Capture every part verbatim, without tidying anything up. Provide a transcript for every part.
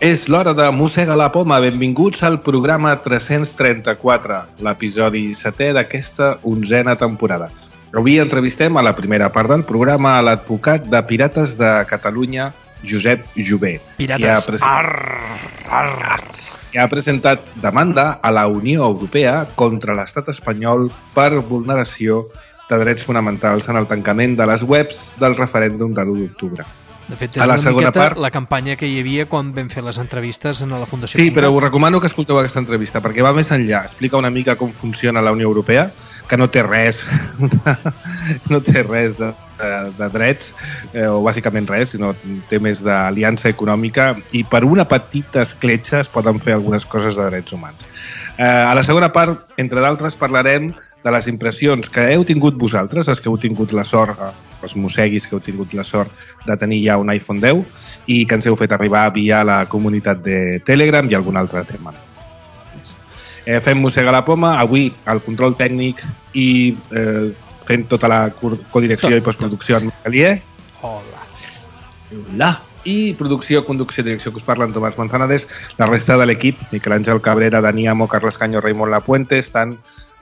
És l'hora de Mossega la Poma. Benvinguts al programa tres-cents trenta-quatre, l'episodi setè d'aquesta onzena temporada. Avui entrevistem a la primera part del programa a l'advocat de Pirates de Catalunya, Josep Jové. Pirates. Que ha presentat, arr, arr. Que ha presentat demanda a la Unió Europea contra l'estat espanyol per vulneració de drets fonamentals en el tancament de les webs del referèndum de l'u d'octubre. De fet, és una miqueta part... la campanya que hi havia quan vam fer les entrevistes a la Fundació Sí, però us recomano que escolteu aquesta entrevista, perquè va més enllà. Explica una mica com funciona la Unió Europea, que no té res, no té res de, de, de drets, eh, o bàsicament res, sinó té més d'aliança econòmica, i per una petita escletxa es poden fer algunes coses de drets humans. Eh, a la segona part, entre d'altres, parlarem de les impressions que heu tingut vosaltres, els que heu tingut la sort, els mosseguis que heu tingut la sort de tenir ja un iPhone deu i que ens heu fet arribar via la comunitat de Telegram i algun altre tema. Eh, fem Mossega la Poma, avui el control tècnic i eh, fent tota la codirecció tot, i postproducció en Calier. Hola. Hola. I producció, conducció i direcció que us parlen Tomàs Manzanares, la resta de l'equip, Miquel Àngel Cabrera, Dani Amo, Carles Canyo, Raimon Lapuente, estan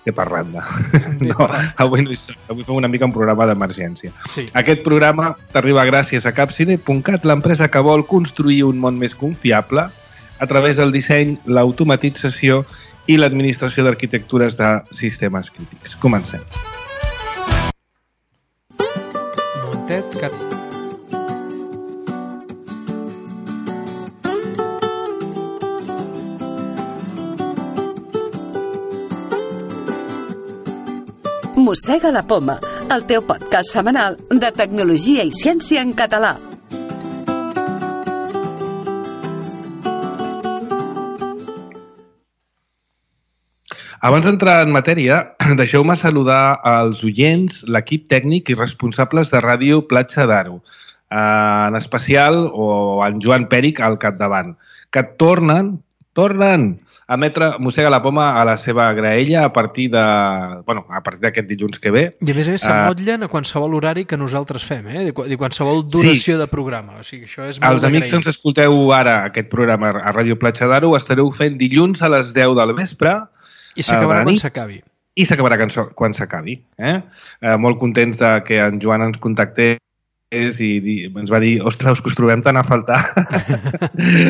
de parranda. No, avui no hi som. Avui fem una mica un programa d'emergència. Sí. Aquest programa t'arriba gràcies a Capside punt cat, l'empresa que vol construir un món més confiable a través del disseny, l'automatització i l'administració d'arquitectures de sistemes crítics. Comencem. Un momentet, que... Mossega la Poma, el teu podcast setmanal de tecnologia i ciència en català. Abans d'entrar en matèria, deixeu-me saludar als oients, l'equip tècnic i responsables de Ràdio Platja d'Aro, en especial o en Joan Pèric al capdavant, que tornen, tornen a emetre Mossega la Poma a la seva graella a partir de, bueno, a partir d'aquest dilluns que ve. I a més a més s'amotllen a qualsevol horari que nosaltres fem, eh? de qualsevol duració sí. de programa. O sigui, això és molt Els amics que ens escolteu ara aquest programa a Ràdio Platja d'Aro ho estareu fent dilluns a les deu del vespre. I s'acabarà quan s'acabi. I s'acabarà quan s'acabi. Eh? Eh, molt contents de que en Joan ens contactés i ens va dir, ostres, que us trobem tant a faltar.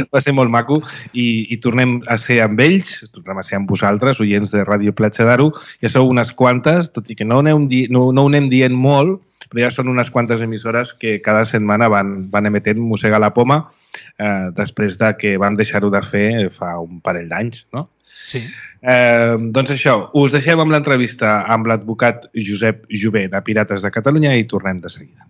Va ser molt maco i, i tornem a ser amb ells, tornem a ser amb vosaltres, oients de Ràdio Platja d'Aro. Ja sou unes quantes, tot i que no, di no, no ho anem dient molt, però ja són unes quantes emissores que cada setmana van, van emetent Mossega la Poma eh, després de que vam deixar-ho de fer fa un parell d'anys, no? Sí. Eh, doncs això, us deixem amb l'entrevista amb l'advocat Josep Jové de Pirates de Catalunya i tornem de seguida.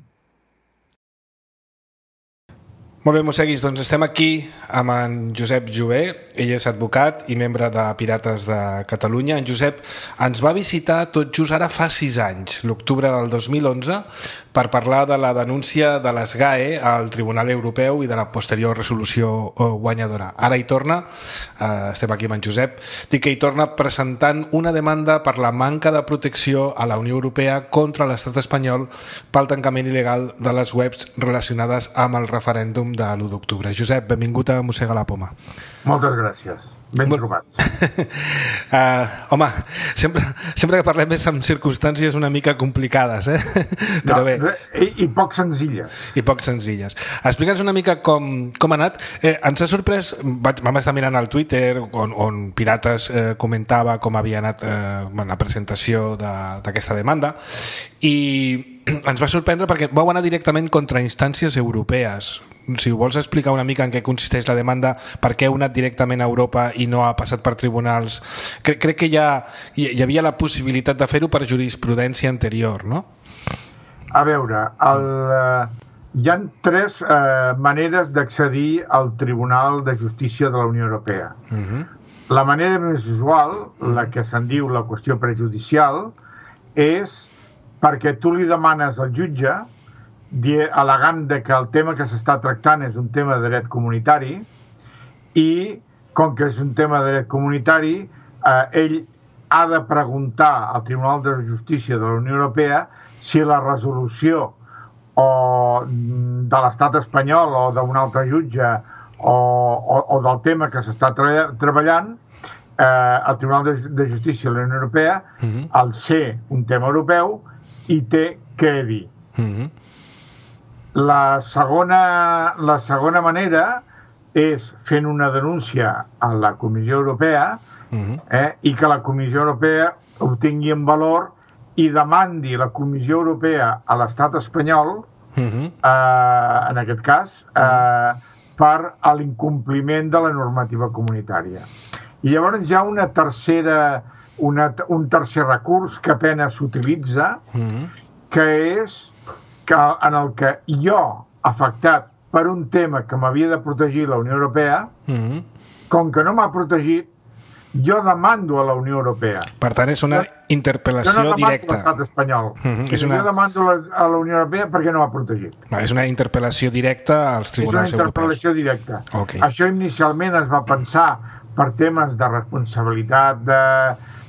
Molt bé, mosseguis, doncs estem aquí amb en Josep Jové. Ell és advocat i membre de Pirates de Catalunya. En Josep ens va visitar tot just ara fa sis anys, l'octubre del dos mil onze, per parlar de la denúncia de les G A E al Tribunal Europeu i de la posterior resolució guanyadora. Ara hi torna, eh, estem aquí amb en Josep, dic que hi torna presentant una demanda per la manca de protecció a la Unió Europea contra l'estat espanyol pel tancament il·legal de les webs relacionades amb el referèndum de l'u d'octubre. Josep, benvingut a Mossega la Poma. Moltes gràcies. Ben trobats. uh, home, sempre, sempre que parlem és amb circumstàncies una mica complicades, eh? Però no, bé. I, I poc senzilles. I poc senzilles. Explica'ns una mica com, com ha anat. Eh, ens ha sorprès, vaig, vam estar mirant al Twitter on, on Pirates eh, comentava com havia anat eh, la presentació d'aquesta de, demanda i ens va sorprendre perquè vau anar directament contra instàncies europees. Si ho vols explicar una mica en què consisteix la demanda, per què heu anat directament a Europa i no ha passat per tribunals. Crec, crec que ja hi havia la possibilitat de fer-ho per jurisprudència anterior, no? A veure, el, eh, hi ha tres eh, maneres d'accedir al Tribunal de Justícia de la Unió Europea. Uh-huh. La manera més usual, la que se'n diu la qüestió prejudicial, és perquè tu li demanes al jutge, al·legant que el tema que s'està tractant és un tema de dret comunitari i, com que és un tema de dret comunitari, eh, ell ha de preguntar al Tribunal de Justícia de la Unió Europea si la resolució o de l'estat espanyol o d'un altre jutge o, o, o del tema que s'està tre treballant, eh, el Tribunal de, de Justícia de la Unió Europea, uh-huh. al ser un tema europeu, hi té què dir. Uh-huh. La segona, la segona manera és fent una denúncia a la Comissió Europea uh-huh. eh, i que la Comissió Europea ho tingui en valor i demandi la Comissió Europea a l'estat espanyol, uh-huh. eh, en aquest cas, eh, uh-huh. per a l'incompliment de la normativa comunitària. I llavors hi ha una tercera, una, un tercer recurs que apenas s'utilitza, uh-huh. que és que en el que jo, afectat per un tema que m'havia de protegir la Unió Europea, uh-huh. com que no m'ha protegit, jo demando a la Unió Europea. Per tant, és una interpel·lació directa. Jo no demando directa. a l'estat espanyol. Uh-huh. És una... Jo demando a la Unió Europea perquè no m'ha protegit. Va, és una interpel·lació directa als tribunals europeus. És una interpel·lació europeus. directa. Okay. Això inicialment es va pensar per temes de responsabilitat, de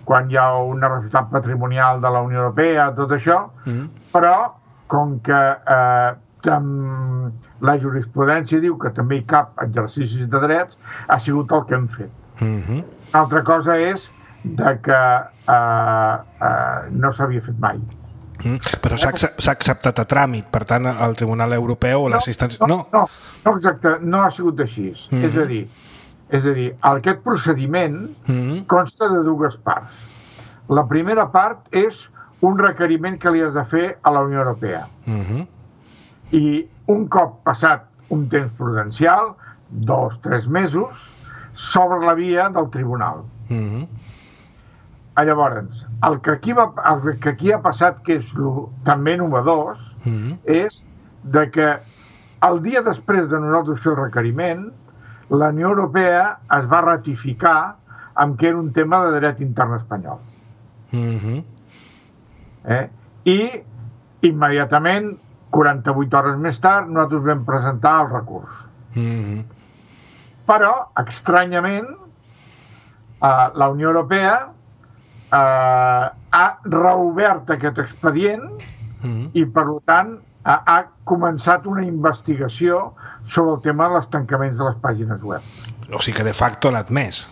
quan hi ha una responsabilitat patrimonial de la Unió Europea, tot això, uh-huh. però com que eh, tam, la jurisprudència diu que també hi cap exercicis de drets, ha sigut el que hem fet. Uh-huh. Altra cosa és de que eh, eh, no s'havia fet mai. Mm, però s'ha acceptat a tràmit, per tant, el Tribunal Europeu o no, l'assistència... No, no, no, exacte, no ha sigut així. Uh-huh. És a dir, és a dir, aquest procediment uh-huh. consta de dues parts. La primera part és un requeriment que li has de fer a la Unió Europea. Uh-huh. I un cop passat un temps prudencial, dos, tres mesos, s'obre la via del tribunal. Uh-huh. Llavors, el que, aquí va, el que aquí ha passat, que és lo, també novedós, uh-huh. és de que el dia després de nosaltres fer el requeriment, la Unió Europea es va ratificar amb que era un tema de dret intern espanyol. Uh-huh. Eh? I immediatament, quaranta-vuit hores més tard, nosaltres vam presentar el recurs. Mm-hmm. Però, estranyament, eh, la Unió Europea eh, ha reobert aquest expedient mm-hmm. i, per tant, ha, ha començat una investigació sobre el tema dels tancaments de les pàgines web. O sigui que, de facto, l'ha admès.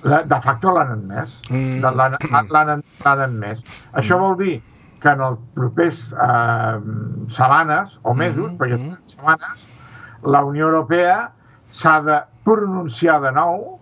De facto l'han admès. Mm. L'han admès. Mm. Això vol dir que en els propers eh, setmanes o mesos, mm. perquè són setmanes, la Unió Europea s'ha de pronunciar de nou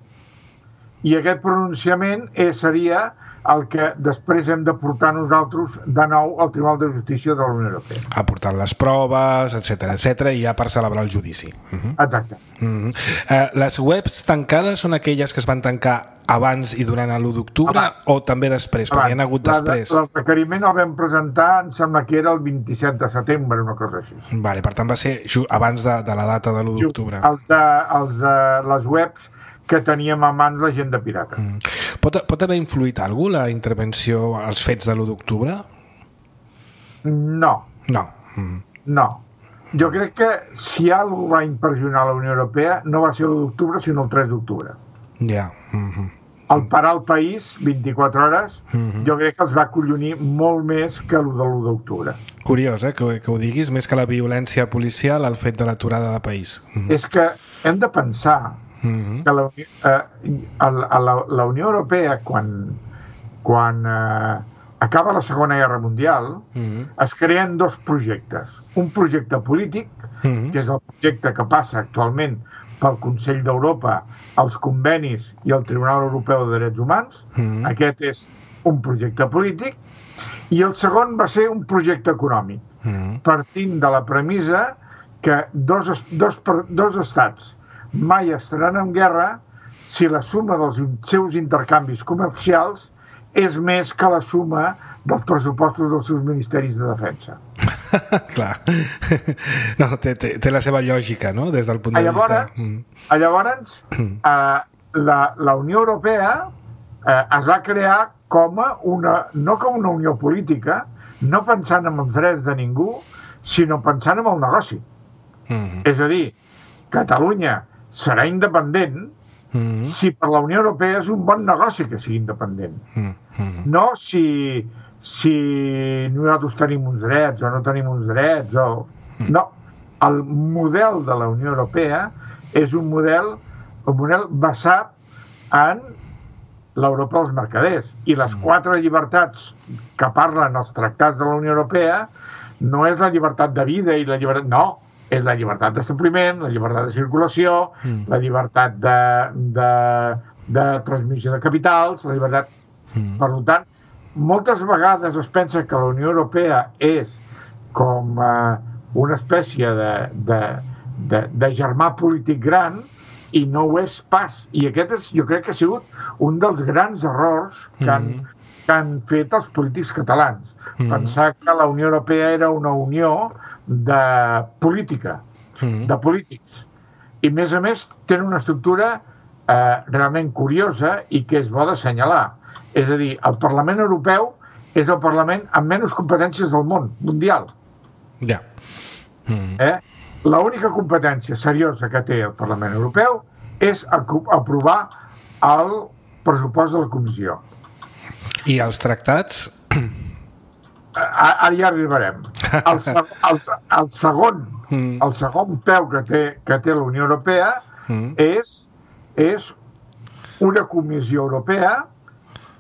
i aquest pronunciament és, seria el que després hem de portar nosaltres de nou al Tribunal de Justícia de la Unió Europea. Aportant les proves, etcètera, etcètera, i ja per celebrar el judici. Uh-huh. Exacte. Uh-huh. Uh, les webs tancades són aquelles que es van tancar abans i durant l'u d'octubre o també després? Perquè hi ha hagut després. El requeriment el vam presentar, em sembla que era el vint-i-set de setembre, una cosa així. Vale, per tant va ser abans de, de la data de l'u d'octubre. Els de, els de les webs que teníem a mans la gent de pirata. Mm. Pot, pot haver influït alguna la intervenció als fets de l'u d'octubre? No. No. Mm. No. Jo crec que si algú va impressionar la Unió Europea no va ser l'u d'octubre, sinó el tres d'octubre. Ja. Yeah. Mm-hmm. El parar el país, vint-i-quatre hores, mm-hmm. jo crec que els va acollonir molt més que el de l'u d'octubre. Curiós, eh, que, que ho diguis, més que la violència policial, el fet de l'aturada de país. Mm-hmm. És que hem de pensar mm-hmm. que la, eh, la, la, la Unió Europea, quan, quan eh, acaba la Segona Guerra Mundial, mm-hmm. es creen dos projectes. Un projecte polític, mm-hmm. que és el projecte que passa actualment pel Consell d'Europa, els convenis i el Tribunal Europeu de Drets Humans. Mm-hmm. Aquest és un projecte polític. I el segon va ser un projecte econòmic, mm-hmm. partint de la premissa que dos, dos, dos estats mai estaran en guerra si la suma dels seus intercanvis comercials és més que la suma dels pressupostos dels seus ministeris de defensa. Clar. No, té, té, té la seva lògica, no?, des del punt de llavors, vista... Llavors, eh, la, la Unió Europea eh, es va crear com a una, no com una unió política, no pensant en els drets de ningú, sinó pensant en el negoci. Mm-hmm. És a dir, Catalunya serà independent mm-hmm. si per la Unió Europea és un bon negoci que sigui independent. Mm-hmm. No si, si nosaltres tenim uns drets o no tenim uns drets. O... No, el model de la Unió Europea és un model, un model basat en l'Europa dels mercaders. I les quatre llibertats que parlen els tractats de la Unió Europea no és la llibertat de vida i la llibertat... No, és la llibertat d'establiment, la llibertat de circulació, mm. la llibertat de, de, de transmissió de capitals, la llibertat... Mm. Per tant, moltes vegades es pensa que la Unió Europea és com eh, una espècie de, de, de, de germà polític gran, i no ho és pas. I aquest és, jo crec que ha sigut un dels grans errors que han, mm. que han fet els polítics catalans. Mm. Pensar que la Unió Europea era una unió de política, mm. de polítics. I, a més a més, tenen una estructura eh, realment curiosa i que és bo d'assenyalar. És a dir, el Parlament Europeu és el Parlament amb menys competències del món, mundial. Ja. Yeah. Mm. Eh? L'única competència seriosa que té el Parlament Europeu és aprovar el pressupost de la Comissió. I els tractats? Ara ja arribarem. El, el, el, segon, mm. el segon peu que té, que té la Unió Europea mm. és, és una Comissió Europea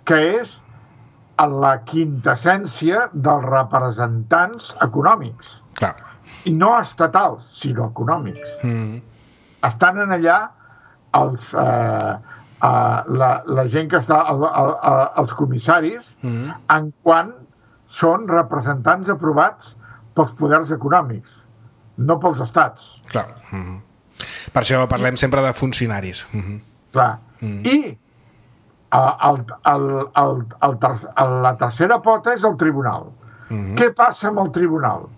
que és la quintessència dels representants econòmics. Clar. I no estatals, sinó econòmics. Mm. Estan en allà els, eh, eh, la, la gent que està, el, el, el, els comissaris, mm. en quant són representants aprovats pels poders econòmics, no pels estats. Clar. Mm. Per això parlem sempre de funcionaris. Mm. Clar. Mm. I el, el, el, el ter, la tercera pota és el tribunal. Mm. Què passa amb el tribunal?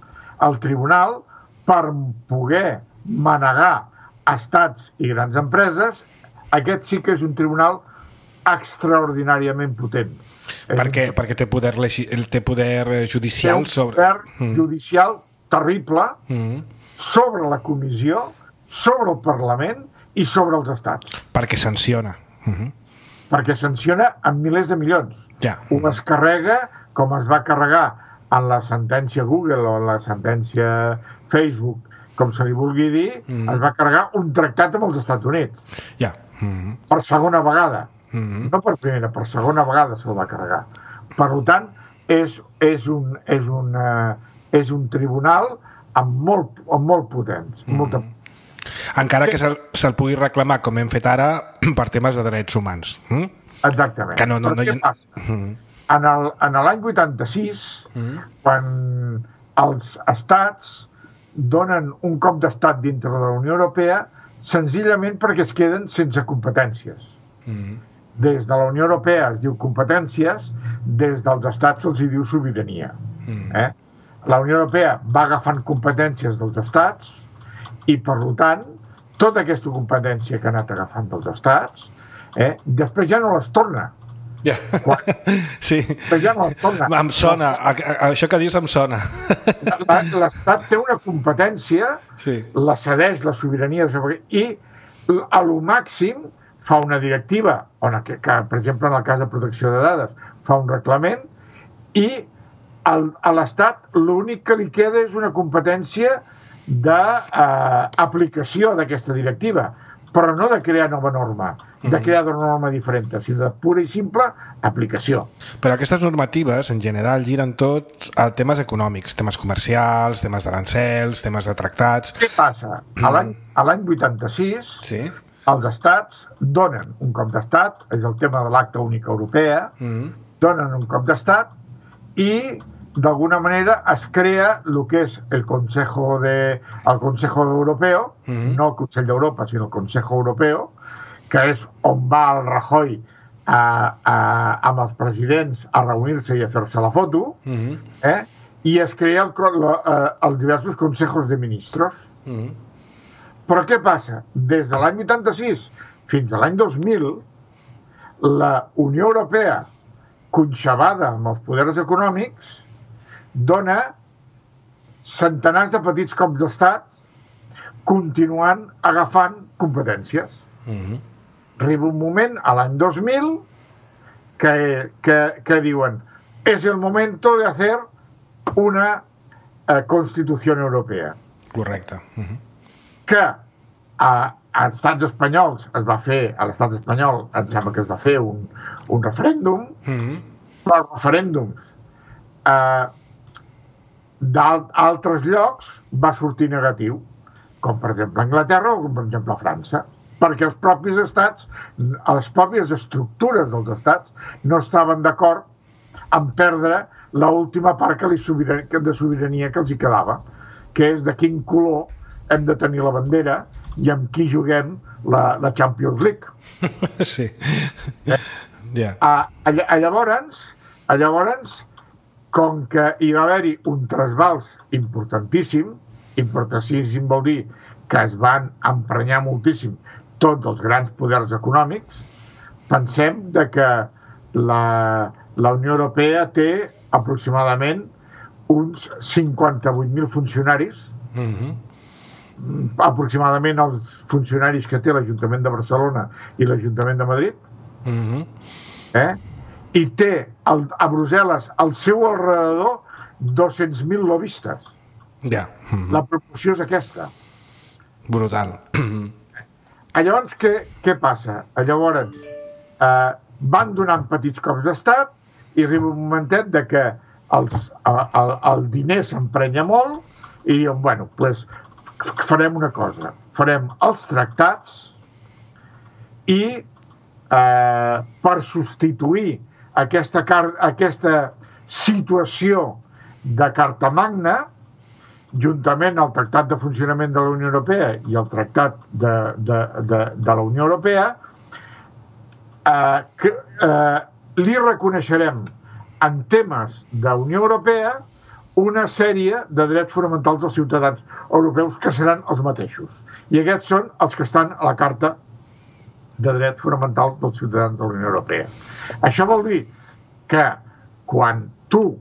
El tribunal, per poder manegar estats i grans empreses, aquest sí que és un tribunal extraordinàriament potent. Per què? Perquè té poder, té poder judicial sobre... Té un poder mm. judicial terrible mm. sobre la comissió, sobre el Parlament i sobre els estats. Perquè sanciona. Mm-hmm. Perquè sanciona amb milers de milions. Ja. Ho es carrega com es va carregar en la sentència Google o en la sentència Facebook, com se li vulgui dir, mm. es va carregar un tractat amb els Estats Units. Ja. Mm-hmm. Per segona vegada. Mm-hmm. No per primera, per segona vegada se'l va carregar. Per tant, és, és, un, és, una, és un tribunal amb molt, amb molt potents. Mm-hmm. Molta... Encara que se'l, se'l pugui reclamar, com hem fet ara, per temes de drets humans. Mm? Exactament. Que no, no, Però no, què passa? Mm-hmm. En el, en l'any vuitanta-sis, mm. quan els estats donen un cop d'estat dintre de la Unió Europea, senzillament perquè es queden sense competències. Mm. Des de la Unió Europea es diu competències, des dels estats se'ls diu sobirania. Mm. Eh? La Unió Europea va agafant competències dels estats i, per tant, tota aquesta competència que ha anat agafant dels estats, eh, després ja no les torna. Yeah. Quan... Sí, ja no em sona, a, a, això que dius em sona. L'Estat té una competència, sí. La cedeix la sobirania i a lo màxim fa una directiva, on, que, que, per exemple en el cas de protecció de dades fa un reglament i el, a l'Estat l'únic que li queda és una competència d'aplicació eh, d'aquesta directiva, però no de crear nova norma, de crear una norma diferent, sinó de pura i simple aplicació. Però aquestes normatives, en general, giren tots a temes econòmics, temes comercials, temes d'arancels, temes de tractats... Què passa? A l'any vuitanta-sis, sí? Els estats donen un cop d'estat, és el tema de l'Acta Única Europea, mm. donen un cop d'estat i d'alguna manera es crea el que és el Consejo, de, el Consejo Europeo, mm-hmm. no el Consell d'Europa, sinó el Consejo Europeo, que és on va el Rajoy a, a, amb els presidents a reunir-se i a fer-se la foto, mm-hmm. eh? I es crea el, la, els diversos Consejos de Ministros. Mm-hmm. Però què passa? Des de l'any vuitanta-sis fins a l'any dos mil, la Unió Europea, conxabada amb els poders econòmics, dona centenars de petits cops d'estat continuant agafant competències. Mm-hmm. Arriba un moment, a l'any dos mil, que, que, que diuen és el momento de hacer una eh, Constitució Europea. Correcte. Mm-hmm. Que a, als estats espanyols es va fer, a l'estat espanyol em sembla que es va fer un, un referèndum, mm-hmm. però els referèndums eh, d'altres llocs va sortir negatiu, com per exemple Anglaterra o com per exemple França, perquè els propis estats, les pròpies estructures dels estats no estaven d'acord en perdre l'última part que li sobirania, de sobirania que els hi quedava, que és de quin color hem de tenir la bandera i amb qui juguem la, la Champions League. Sí. Eh? Yeah. A, a, a llavors, a llavors, com que hi va haver-hi un trasbals importantíssim, importantíssim vol dir que es van emprenyar moltíssim tots els grans poders econòmics, pensem de que la, la Unió Europea té aproximadament uns cinquanta-vuit mil funcionaris, mm-hmm. aproximadament els funcionaris que té l'Ajuntament de Barcelona i l'Ajuntament de Madrid, mm-hmm. eh? I té el, a Brussel·les al seu alrededor dos-cents mil lobbistes. Yeah. Mm-hmm. La proporció és aquesta. Brutal. Llavors, què, què passa? Llavors, eh, van donant petits cops d'estat i arriba un momentet de que els, el, el diner s'emprenya molt i diuen, bueno, pues, farem una cosa. Farem els tractats i eh, per substituir aquesta, car aquesta situació de Carta Magna, juntament al Tractat de Funcionament de la Unió Europea i el Tractat de, de, de, de la Unió Europea, eh, que, eh, li reconeixerem en temes de Unió Europea una sèrie de drets fonamentals dels ciutadans europeus que seran els mateixos. I aquests són els que estan a la Carta de Drets Fonamentals dels ciutadans de la Unió Europea. Això vol dir que quan tu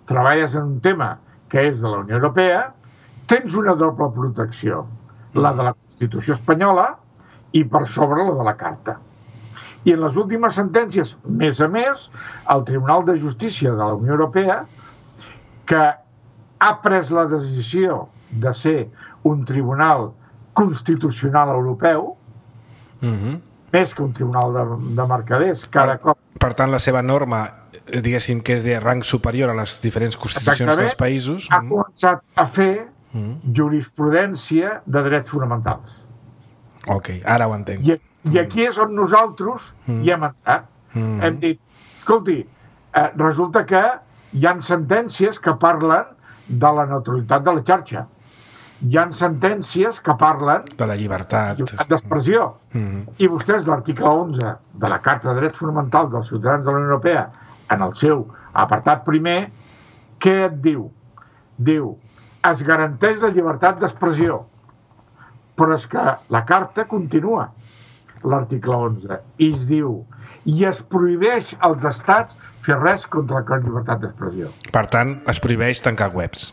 treballes en un tema que és de la Unió Europea, tens una doble protecció, la de la Constitució espanyola i per sobre la de la Carta. I en les últimes sentències, més a més, el Tribunal de Justícia de la Unió Europea, que ha pres la decisió de ser un tribunal constitucional europeu, mm-hmm. més que un tribunal de, de mercaders, cada per, cop... Per tant, la seva norma, diguéssim que és de rang superior a les diferents constitucions dels països... ha començat a fer mm. jurisprudència de drets fonamentals. Ok, ara ho entenc. I, i aquí és on nosaltres mm. hi hem entrat. Mm. Hem dit, escolti, eh, resulta que hi ha sentències que parlen de la neutralitat de la xarxa. Hi ha sentències que parlen de la llibertat, llibertat d'expressió. Mm. I vostès, l'article onze de la Carta de Drets Fonamentals dels Ciutadans de la Unió Europea, en el seu apartat primer, què et diu? Diu, es garanteix la llibertat d'expressió, però és que la Carta continua, l'article onze, i es diu, i es prohibeix als estats fer res contra la llibertat d'expressió. Per tant, es prohibeix tancar webs.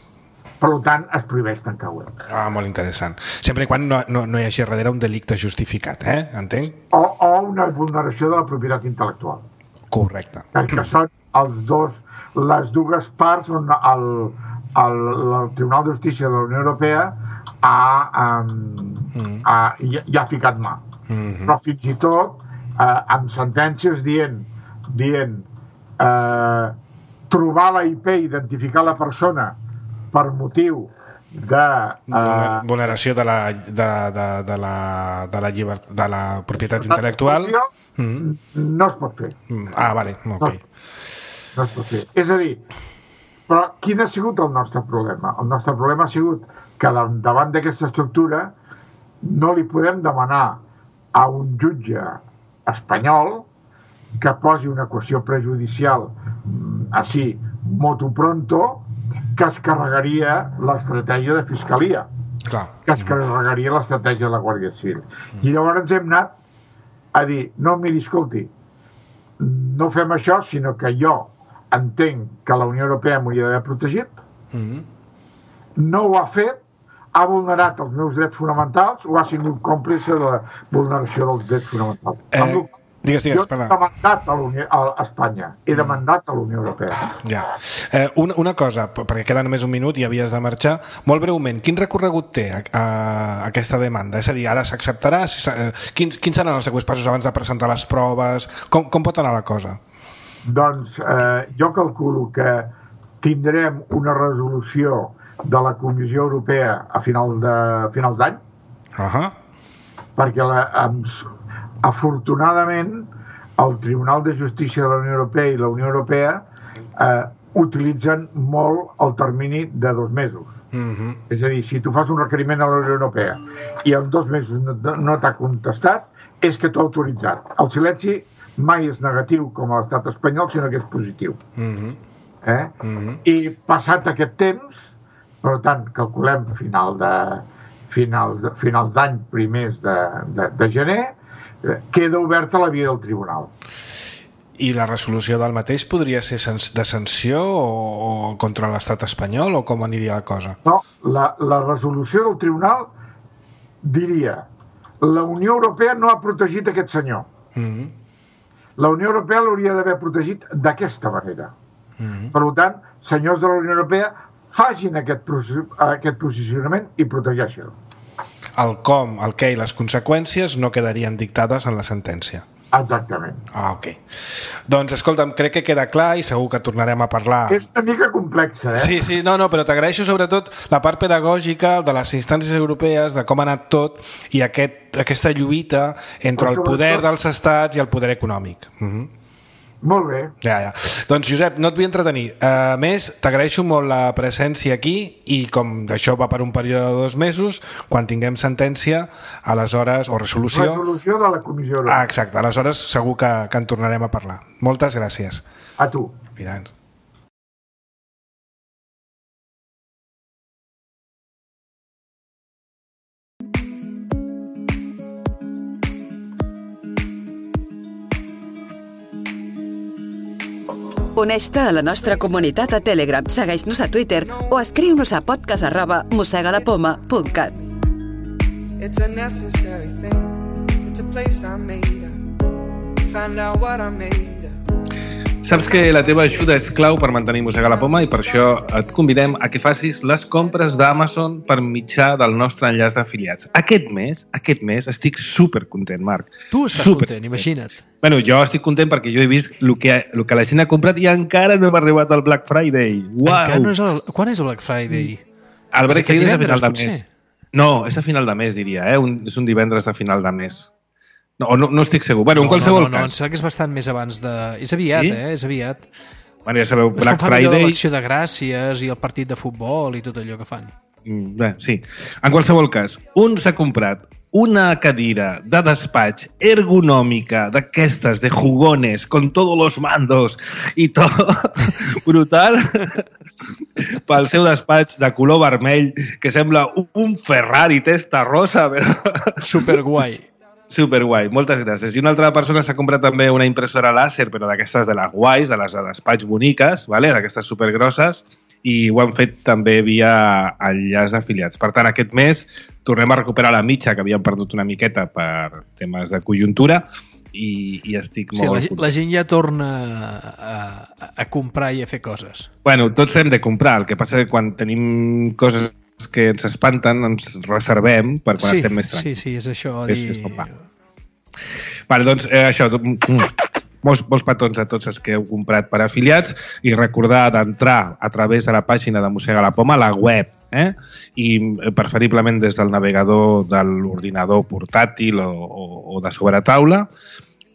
Per tant, es prohibeix tancar web. Ah, molt interessant. Sempre i quan no, no, no hi hagi darrere un delicte justificat, eh? Entenc? O, o una vulneració de la propietat intel·lectual. Correcte. Que són els dos, les dues parts on el, el, el Tribunal de Justícia de la Unió Europea ha, um, mm. ha, hi, hi ha ficat mà. Mm-hmm. Però fins i tot eh, amb sentències dient, dient eh, trobar la I P, identificar la persona per motiu de... Eh, vulneració de la, de, de, de la, de la, llibert, de la propietat intel·lectual. Mm. No es pot fer. Ah, vale, ok. No, no es pot fer. És a dir, però quin ha sigut el nostre problema? El nostre problema ha sigut que davant d'aquesta estructura no li podem demanar a un jutge espanyol que posi una qüestió prejudicial així, motu pronto, que es carregaria l'estratègia de Fiscalia, clar. Que es carregaria l'estratègia de la Guàrdia Civil. I llavors ens hem anat a dir, no, miri, escolti, no fem això, sinó que jo entenc que la Unió Europea m'hauria d'haver protegit, mm-hmm. no ho ha fet, ha vulnerat els meus drets fonamentals o ha sigut còmplice de la vulneració dels drets fonamentals. Eh, Digues, digues, jo he demandat a, a Espanya, he demandat a la Unió Europea. Ja. Eh, una, una cosa, perquè queda només un minut i havies de marxar, molt breument, quin recorregut té a, a, aquesta demanda? És a dir, ara s'acceptarà? Si eh, quins, quins seran els següents passos abans de presentar les proves? Com, com pot anar la cosa? Doncs eh, jo calculo que tindrem una resolució de la Comissió Europea a final de final d'any, uh-huh. perquè la, amb, afortunadament el Tribunal de Justícia de la Unió Europea i la Unió Europea eh, utilitzen molt el termini de dos mesos. Uh-huh. És a dir, si tu fas un requeriment a la Unió Europea i en dos mesos no, no t'ha contestat, és que t'ha autoritzat. El silenci mai és negatiu com a l'estat espanyol, sinó que és positiu. Uh-huh. Eh? Uh-huh. I passat aquest temps, per tant, calculem final de final, de, final d'any, primers de, de, de gener, queda oberta la via del tribunal. I la resolució del mateix podria ser de sanció o, o contra l'estat espanyol o com aniria la cosa? No, la, la resolució del tribunal diria la Unió Europea no ha protegit aquest senyor. Mm-hmm. La Unió Europea l'hauria d'haver protegit d'aquesta manera. Mm-hmm. Per tant, senyors de la Unió Europea, facin aquest, aquest posicionament i protegeixen-lo. El com, el què i les conseqüències no quedarien dictades en la sentència. Exactament. Ah, ok. Doncs, escolta'm, crec que queda clar i segur que tornarem a parlar. És una mica complexa, eh? Sí, sí, no, no, però t'agraeixo sobretot la part pedagògica de les instàncies europees, de com ha anat tot i aquest, aquesta lluita entre el poder dels estats i el poder econòmic. Mhm. Molt bé. Ja, ja. Doncs, Josep, no et vull entretenir. A més, t'agraeixo molt la presència aquí i com això va per un període de dos mesos, quan tinguem sentència, aleshores, o resolució... Resolució de la Comissió Europea. Ah, exacte. Aleshores segur que, que en tornarem a parlar. Moltes gràcies. A tu. Mirant. Uneix-te a la nostra comunitat a Telegram, segueix-nos a Twitter o escriu-nos a podcast arroba mosegalapoma punt cat. It's a necessary thing. It's a place I made up. Find out what I made. Saps que la teva ajuda és clau per mantenir Mossega la Poma i per això et convidem a que facis les compres d'Amazon per mitjà del nostre enllaç d'afiliats. Aquest mes, aquest mes estic supercontent, Marc. Tu estàs super content, imagina't. Bueno, jo estic content perquè jo he vist el que, el que la gent ha comprat i encara no hem arribat al Black Friday. Uau! No és el... Quan és el Black Friday? El Black Friday és a final de mes. No, és a final de mes, diria. Eh? Un, és un divendres de final de mes. No, no, no estic segur. Bueno, no, en qualsevol no, no, cas. No, em sembla que és bastant més abans de... És aviat, sí? eh? És aviat. Bueno, ja sabeu, és Black Friday... l'acció de gràcies i el partit de futbol i tot allò que fan. Mm, bé, sí. En qualsevol cas, un s'ha comprat una cadira de despatx ergonòmica d'aquestes, de jugones, con todos los mandos i tot brutal, pel seu despatx de color vermell, que sembla un Ferrari testa rosa, però... Superguai. Superguai, moltes gràcies. I una altra persona s'ha comprat també una impressora làser, però d'aquestes de les guais, de les de despatx boniques, vale? D'aquestes supergrosses, i ho han fet també via enllaç d'afiliats. Per tant, aquest mes tornem a recuperar la mitja que havíem perdut una miqueta per temes de conjuntura i, i estic sí, molt... La, la gent ja torna a, a, a comprar i a fer coses. Bueno, tots hem de comprar, el que passa és que quan tenim coses que ens espanten, ens reservem per quan sí, estem més tranquils. Sí, sí, és això. És, dir... és com va. Vale, doncs eh, això, molts, molts petons a tots els que heu comprat per afiliats i recordar d'entrar a través de la pàgina de Mossega la Poma, la web, eh? I preferiblement des del navegador de l'ordinador portàtil o, o, o de sobretaula,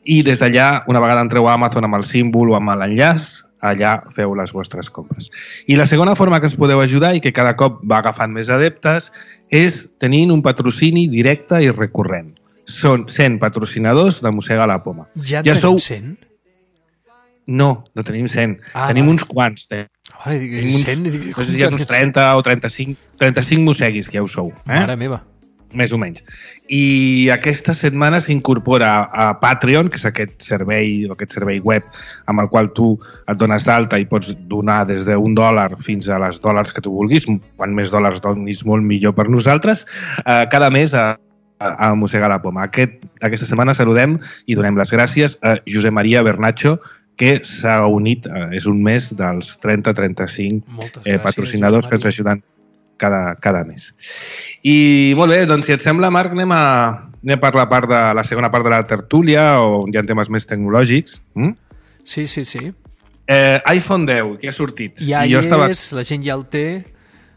i des d'allà, una vegada entreu a Amazon amb el símbol o amb l'enllaç, allà feu les vostres compres. I la segona forma que ens podeu ajudar i que cada cop va agafant més adeptes és tenint un patrocini directe i recurrent. Són cent patrocinadors de Mossega la Poma. Ja en ja tenim sou... cent? No, no tenim cent. Ah, tenim va. uns quants. Eh? Vale, dic, tenim uns, cent, dic, no sé si hi ha uns trenta o trenta-cinc, trenta-cinc mosseguis que ja ho sou. Eh? Mare meva. Més o menys. I aquesta setmana s'incorpora a Patreon, que és aquest servei o aquest servei web amb el qual tu et dones d'alta i pots donar des d'un dòlar fins a les dòlars que tu vulguis. Quan més dòlars donis, molt millor per nosaltres. Eh, cada mes a, a Mossegar la Poma. Aquest, aquesta setmana saludem i donem les gràcies a Josep Maria Bernacho, que s'ha unit, eh, és un mes dels trenta a trenta-cinc eh, patrocinadors que ens ajuden cada, cada mes. I molt bé, doncs si et sembla, Marc, anem a, anem per la, part de, la segona part de la tertúlia, on hi ha temes més tecnològics. Mm? Sí, sí, sí. Eh, iPhone deu, que ha sortit. Ja I hi jo estava... és, la gent ja el té,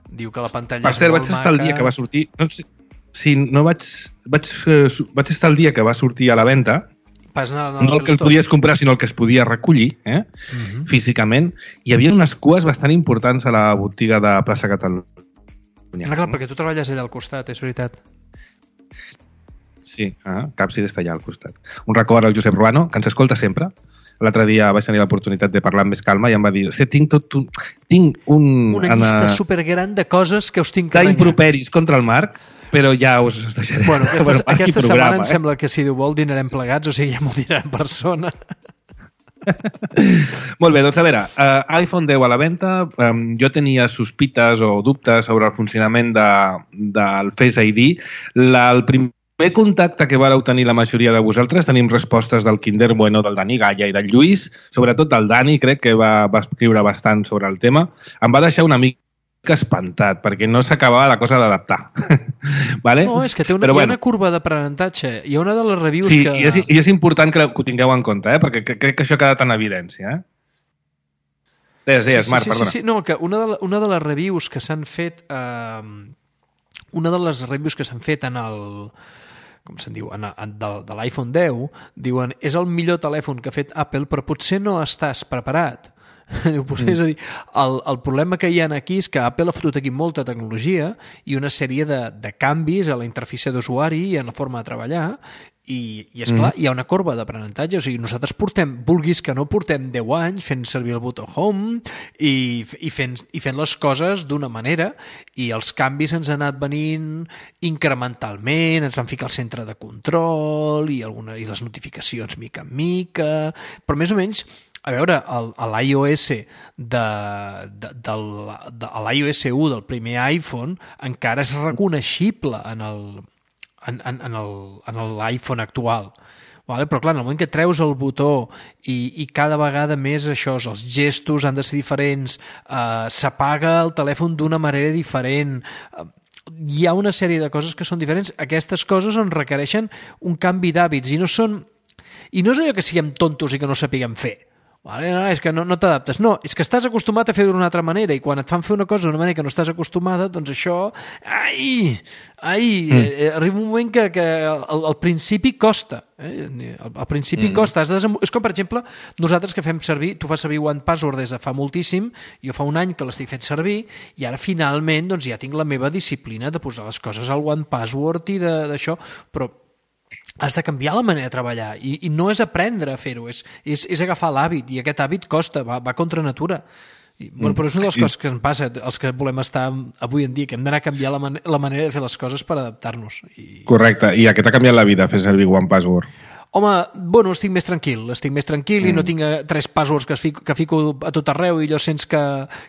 diu que la pantalla per és cert, molt vaig estar maca. el dia que va sortir... No sé, sí, no vaig, vaig, eh, vaig estar el dia que va sortir a la venda, Pas anar, anar no el que el podies comprar, sinó el que es podia recollir, eh? Uh-huh. físicament. Hi havia unes cues bastant importants a la botiga de Plaça Catalunya. Ah, clar, perquè tu treballes allà al costat, és veritat. Sí, ah, Capsi està allà al costat. Un record al Josep Ruano, que ens escolta sempre. L'altre dia vaig tenir l'oportunitat de parlar amb més calma i em va dir, sí, tinc tot un... Tinc un... Una llista supergran de coses que us tinc que renyar. D'improperis contra el Marc, però ja us deixaré. Bueno, aquesta, bueno, aquesta programa, setmana em eh? sembla que si Déu vol dinarem plegats, o sigui, ja m'ho dirà en persona. Molt bé, doncs a veure, uh, iPhone deu a la venda, um, jo tenia sospites o dubtes sobre el funcionament de, del Face I D. La, el primer contacte que vareu tenir la majoria de vosaltres, tenim respostes del Kinder Bueno, del Dani Galla i del Lluís, sobretot del Dani, crec que va, va escriure bastant sobre el tema. Em va deixar una mica espantat, perquè no s'acabava la cosa d'adaptar. Vale? No, és que té una, Però, hi ha bueno, una curva d'aprenentatge. Hi ha una de les reviews sí, que... i és, i és important que ho tingueu en compte, eh? Perquè crec que això ha quedat en evidència. Eh? Deies, deies, sí, sí, Marc, sí, perdona. Sí, sí, no, que una de, una de les reviews que s'han fet... Eh, una de les reviews que s'han fet en el... com se'n diu, en, en, de, de l'iPhone deu, diuen, és el millor telèfon que ha fet Apple, però potser no estàs preparat. Diu, potser, mm. És a dir, el, el problema que hi ha aquí és que Apple ha fotut aquí molta tecnologia i una sèrie de, de canvis a la interfície d'usuari i en la forma de treballar, i, i esclar, mm. hi ha una corba d'aprenentatge. O sigui, nosaltres portem, vulguis que no, portem deu anys fent servir el botó Home i, i, fent, i fent les coses d'una manera, i els canvis ens han anat venint incrementalment, ens van ficar al centre de control i, alguna, i les notificacions mica en mica, però més o menys, a veure, l'iOS de, de, del, de, l'iOS u del primer iPhone encara és reconeixible en el en, en, en el, en l'iPhone actual. Vale? Però clar, en el moment que treus el botó i, i cada vegada més això, els gestos han de ser diferents, eh, s'apaga el telèfon d'una manera diferent, eh, hi ha una sèrie de coses que són diferents. Aquestes coses on requereixen un canvi d'hàbits i no són... I no és allò que siguem tontos i que no sapiguem fer. Vale? No, és que no, no t'adaptes. No, és que estàs acostumat a fer d'una altra manera i quan et fan fer una cosa d'una manera que no estàs acostumada, doncs això... Ai! Ai! Mm. Eh, arriba un moment que, que al, al principi costa. Eh? Al, al principi mm. costa. Has de desem... És com, per exemple, nosaltres que fem servir... Tu fas servir One Password des de fa moltíssim, jo fa un any que l'estic fent servir i ara finalment doncs, ja tinc la meva disciplina de posar les coses al One Password i d'això, però has de canviar la manera de treballar i, i no és aprendre a fer-ho, és, és, és agafar l'hàbit i aquest hàbit costa, va, va contra natura. I, bueno, però és una de les coses que ens passa, els que volem estar avui en dia, que hem d'anar a canviar la, man la manera de fer les coses per adaptar-nos. I... Correcte, i aquest ha canviat la vida, fer servir One Password. Home, bueno, estic més tranquil, estic més tranquil mm. i no tinc tres passwords que, fico, que fico a tot arreu i allò sents que,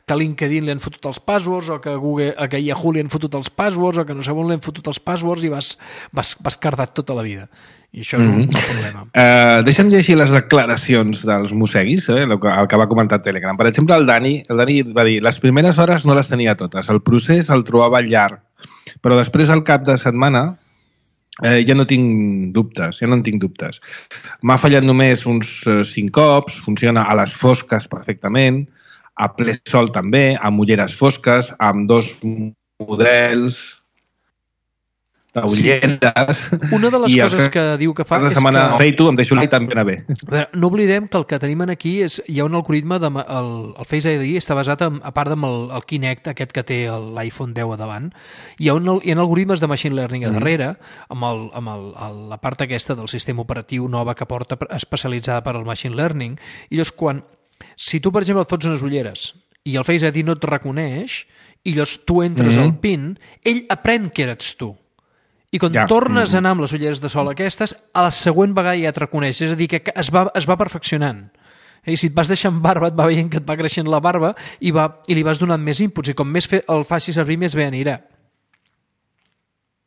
que a LinkedIn li han fotut els passwords o que a, Google, que a Yahoo li han fotut els passwords o que no sé on li han fotut els passwords i vas, vas, vas cardat tota la vida. I això és un mm -hmm. problema. Uh, deixa'm llegir les declaracions dels mosseguis, eh, el, que, el que va comentar Telegram. Per exemple, el Dani, el Dani va dir les primeres hores no les tenia totes, el procés el trobava llarg, però després al cap de setmana eh, ja no tinc dubtes, ja no en tinc dubtes. M'ha fallat només uns eh, cinc cops, funciona a les fosques perfectament, a ple sol també, amb ulleres fosques, amb dos models d'ulleres. Sí. Una de les coses que, que diu que fa cada és setmana que... tu, em deixo l'I també anar bé. A veure, no oblidem que el que tenim aquí és hi ha un algoritme, de, el, el Face I D està basat en, a part del el Kinect, aquest que té l'iPhone deu a davant, hi ha, un, hi ha algoritmes de machine learning a darrere, amb, el, amb el, el, la part aquesta del sistema operatiu nova que porta especialitzada per al machine learning, i llavors quan, si tu per exemple et fots unes ulleres i el Face I D no et reconeix, i llavors tu entres mm -hmm. al PIN, ell aprèn que eres tu. I quan ja. tornes a anar amb les ulleres de sol aquestes, a la següent vegada ja et reconeix. És a dir, que es va, es va perfeccionant. I si et vas deixant barba, et va veient que et va creixent la barba i, va, i li vas donant més inputs. I com més fe, el facis servir, més bé anirà.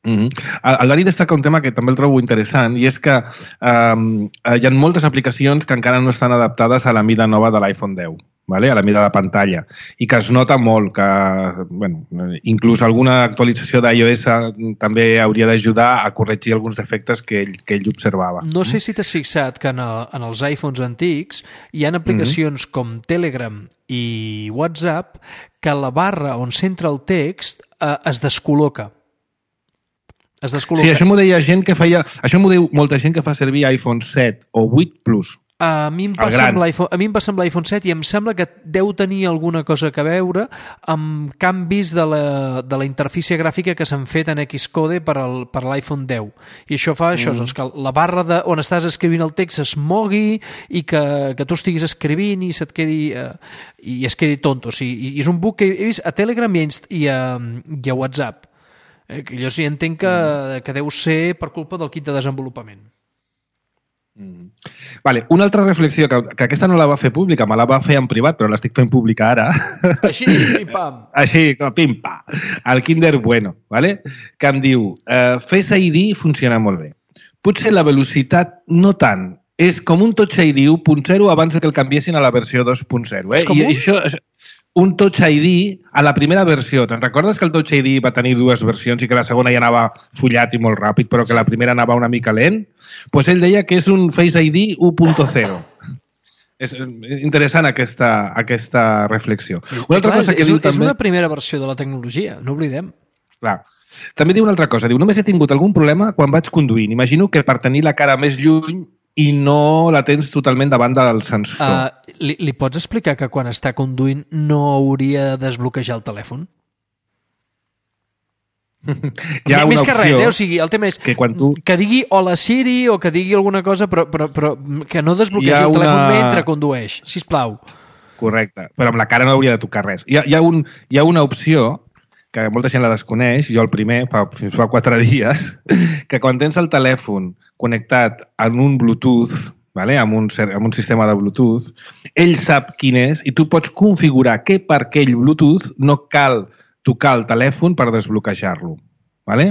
Mm-hmm. El, el Dani destaca un tema que també el trobo interessant i és que um, hi ha moltes aplicacions que encara no estan adaptades a la mida nova de l'iPhone deu, vale? A la mida de pantalla, i que es nota molt que, bueno, inclús alguna actualització d'iOS també hauria d'ajudar a corregir alguns defectes que ell, que ell observava. No sé si t'has fixat que en, el, en els iPhones antics hi ha aplicacions mm-hmm. com Telegram i WhatsApp que la barra on centra el text eh, es descol·loca. Es descol·loca. Sí, això m'ho deia gent que feia... Això m'ho diu molta gent que fa servir iPhone set o vuit Plus. A mi em passa amb l'iPhone, a mi em passa amb l'iPhone set i em sembla que deu tenir alguna cosa a veure amb canvis de la, de la interfície gràfica que s'han fet en Xcode per, al, per l'iPhone deu. I això fa això, mm. doncs que la barra de, on estàs escrivint el text es mogui i que, que tu estiguis escrivint i se't quedi, eh, i es quedi tonto. O sigui, i és un bug que he vist a Telegram i a, i a, i a WhatsApp. Eh, que jo sí entenc que, que deu ser per culpa del kit de desenvolupament. Mm. Vale, una altra reflexió, que, que aquesta no la va fer pública, me la va fer en privat, però l'estic fent pública ara. Així, pim-pam. Així, pim-pam. El Kinder Bueno, vale? Que em diu, uh, Face I D funciona molt bé. Potser la velocitat no tant, és com un Touch I D u punt zero abans que el canviessin a la versió dos punt zero. Eh? És com I, un? I això, un Touch I D a la primera versió. Te'n recordes que el Touch I D va tenir dues versions i que la segona ja anava follat i molt ràpid, però que la primera anava una mica lent? Doncs pues ell deia que és un Face I D u punt zero. És interessant aquesta, aquesta reflexió. Una altra clar, cosa que és, diu és també... una primera versió de la tecnologia, no oblidem. Clar. També diu una altra cosa. Diu, només he tingut algun problema quan vaig conduint. Imagino que per tenir la cara més lluny i no la tens totalment davant del sensor. Uh, li, li pots explicar que quan està conduint no hauria de desbloquejar el telèfon? Hi ha Més una que res, eh? O sigui, el tema és que, quan tu... que digui hola Siri o que digui alguna cosa, però, però, però que no desbloquegi el telèfon una... mentre condueix, sisplau. Correcte, però amb la cara no hauria de tocar res. Hi ha, hi ha, un, hi ha una opció que molta gent la desconeix, jo el primer, fa, fins fa quatre dies, que quan tens el telèfon connectat en un Bluetooth, vale? amb, un, amb un sistema de Bluetooth, ell sap quin és i tu pots configurar que per aquell Bluetooth no cal tocar el telèfon per desbloquejar-lo. Vale?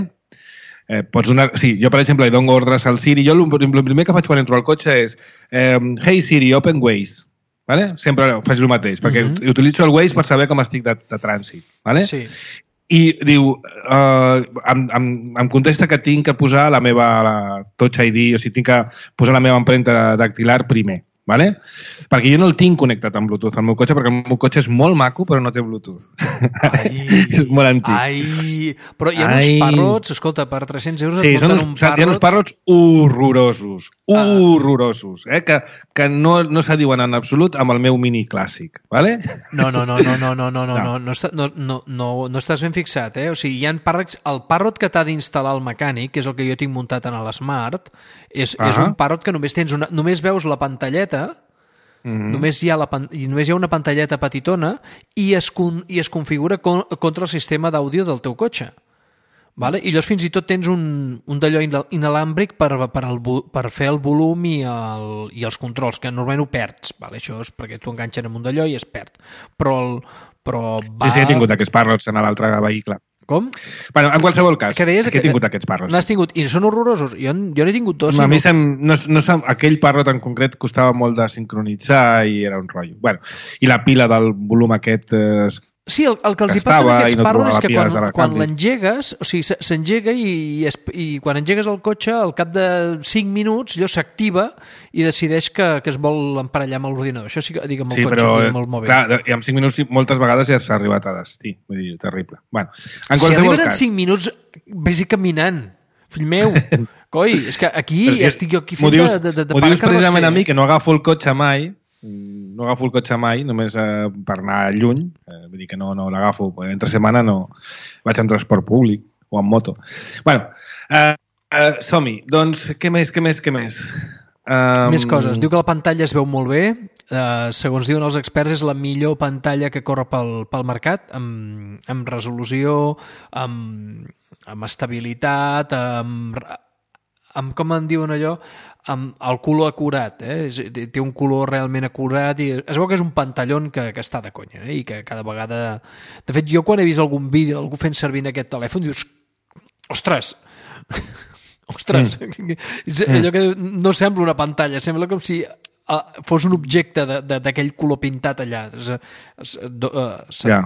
Eh, pots donar... Sí, jo, per exemple, li dono ordres al Siri. Jo el primer que faig quan entro al cotxe és eh, Hey Siri, open Waze. Vale? Sempre faig el mateix, perquè uh-huh. utilitzo el Waze per saber com estic de, de trànsit. Vale? Sí. I diu, uh, em, em, em contesta que tinc que posar la meva la Touch I D, o sigui, tinc que posar la meva empremta dactilar primer. Vale? Perquè jo no el tinc connectat amb Bluetooth al meu cotxe, perquè el meu cotxe és molt maco, però no té Bluetooth. Ai, és molt antic. Ai, però hi ha uns ai. parrots, escolta, per tres-cents euros sí, et porten un parrot... Hi ha uns parrots horrorosos, ah. horrorosos, eh? que, que no, no s'adiuen en absolut amb el meu mini clàssic, vale? No, no, no, no, no, no, no, no, no, no, està, no, no, no, no estàs ben fixat, eh? O sigui, hi ha parrots... El parrot que t'ha d'instal·lar el mecànic, que és el que jo tinc muntat en l'Smart, és, uh-huh. és un parrot que només tens una, només veus la pantalleta. Mm-hmm. Només, hi ha la, només hi ha una pantalleta petitona i es, con, i es configura con, contra el sistema d'àudio del teu cotxe. Vale? I llavors fins i tot tens un, un d'allò inalàmbric per, per, el, per fer el volum i, el, i els controls, que normalment ho perds. Vale? Això és perquè tu enganxen amb un d'allò i es perd. Però, el, però va... Sí, sí, he tingut aquests parrots en l'altre vehicle. Com? Bueno, en qualsevol cas, que deies que he tingut aquests parrots. N'has tingut, i són horrorosos. Jo, jo n'he tingut dos. A mi no... sem, no, no sem, aquell parrot en concret costava molt de sincronitzar i era un rotllo. Bueno, i la pila del volum aquest... Eh, sí, el, el que els hi passa a aquests no parrots és que quan, quan l'engegues, o sigui, s'engega i, i, i quan engegues el cotxe, al cap de cinc minuts, allò s'activa i decideix que, que es vol emparellar amb l'ordinador. Això sí que dic amb el sí, cotxe, però, amb el mòbil. Clar, i en cinc minuts moltes vegades ja s'ha arribat a destí. Vull dir, terrible. Bueno, en si arribes cas... en cinc minuts, vés-hi caminant. Fill meu, coi, és que aquí si estic jo aquí fent dius, de, de, de M'ho dius precisament eh? a mi, que no agafo el cotxe mai, no agafo el cotxe mai, només eh, per anar lluny, eh, vull dir que no, no l'agafo, entre setmana no vaig en transport públic o en moto. Bueno, eh, eh, som-hi. Doncs, què més, què més, què més? Um... Més coses. Diu que la pantalla es veu molt bé. Uh, segons diuen els experts, és la millor pantalla que corre pel, pel mercat, amb, amb resolució, amb, amb estabilitat, amb, amb, com en diuen allò, amb el color acurat, eh? Té un color realment acurat i es veu que és un pantallón que, que està de conya, eh? I que cada vegada... De fet, jo quan he vist algun vídeo d'algú fent servir aquest telèfon, dius, Ostres! Ostres! Mm. És allò que no sembla una pantalla, sembla com si fos un objecte d'aquell color pintat allà. És, és, uh, ja.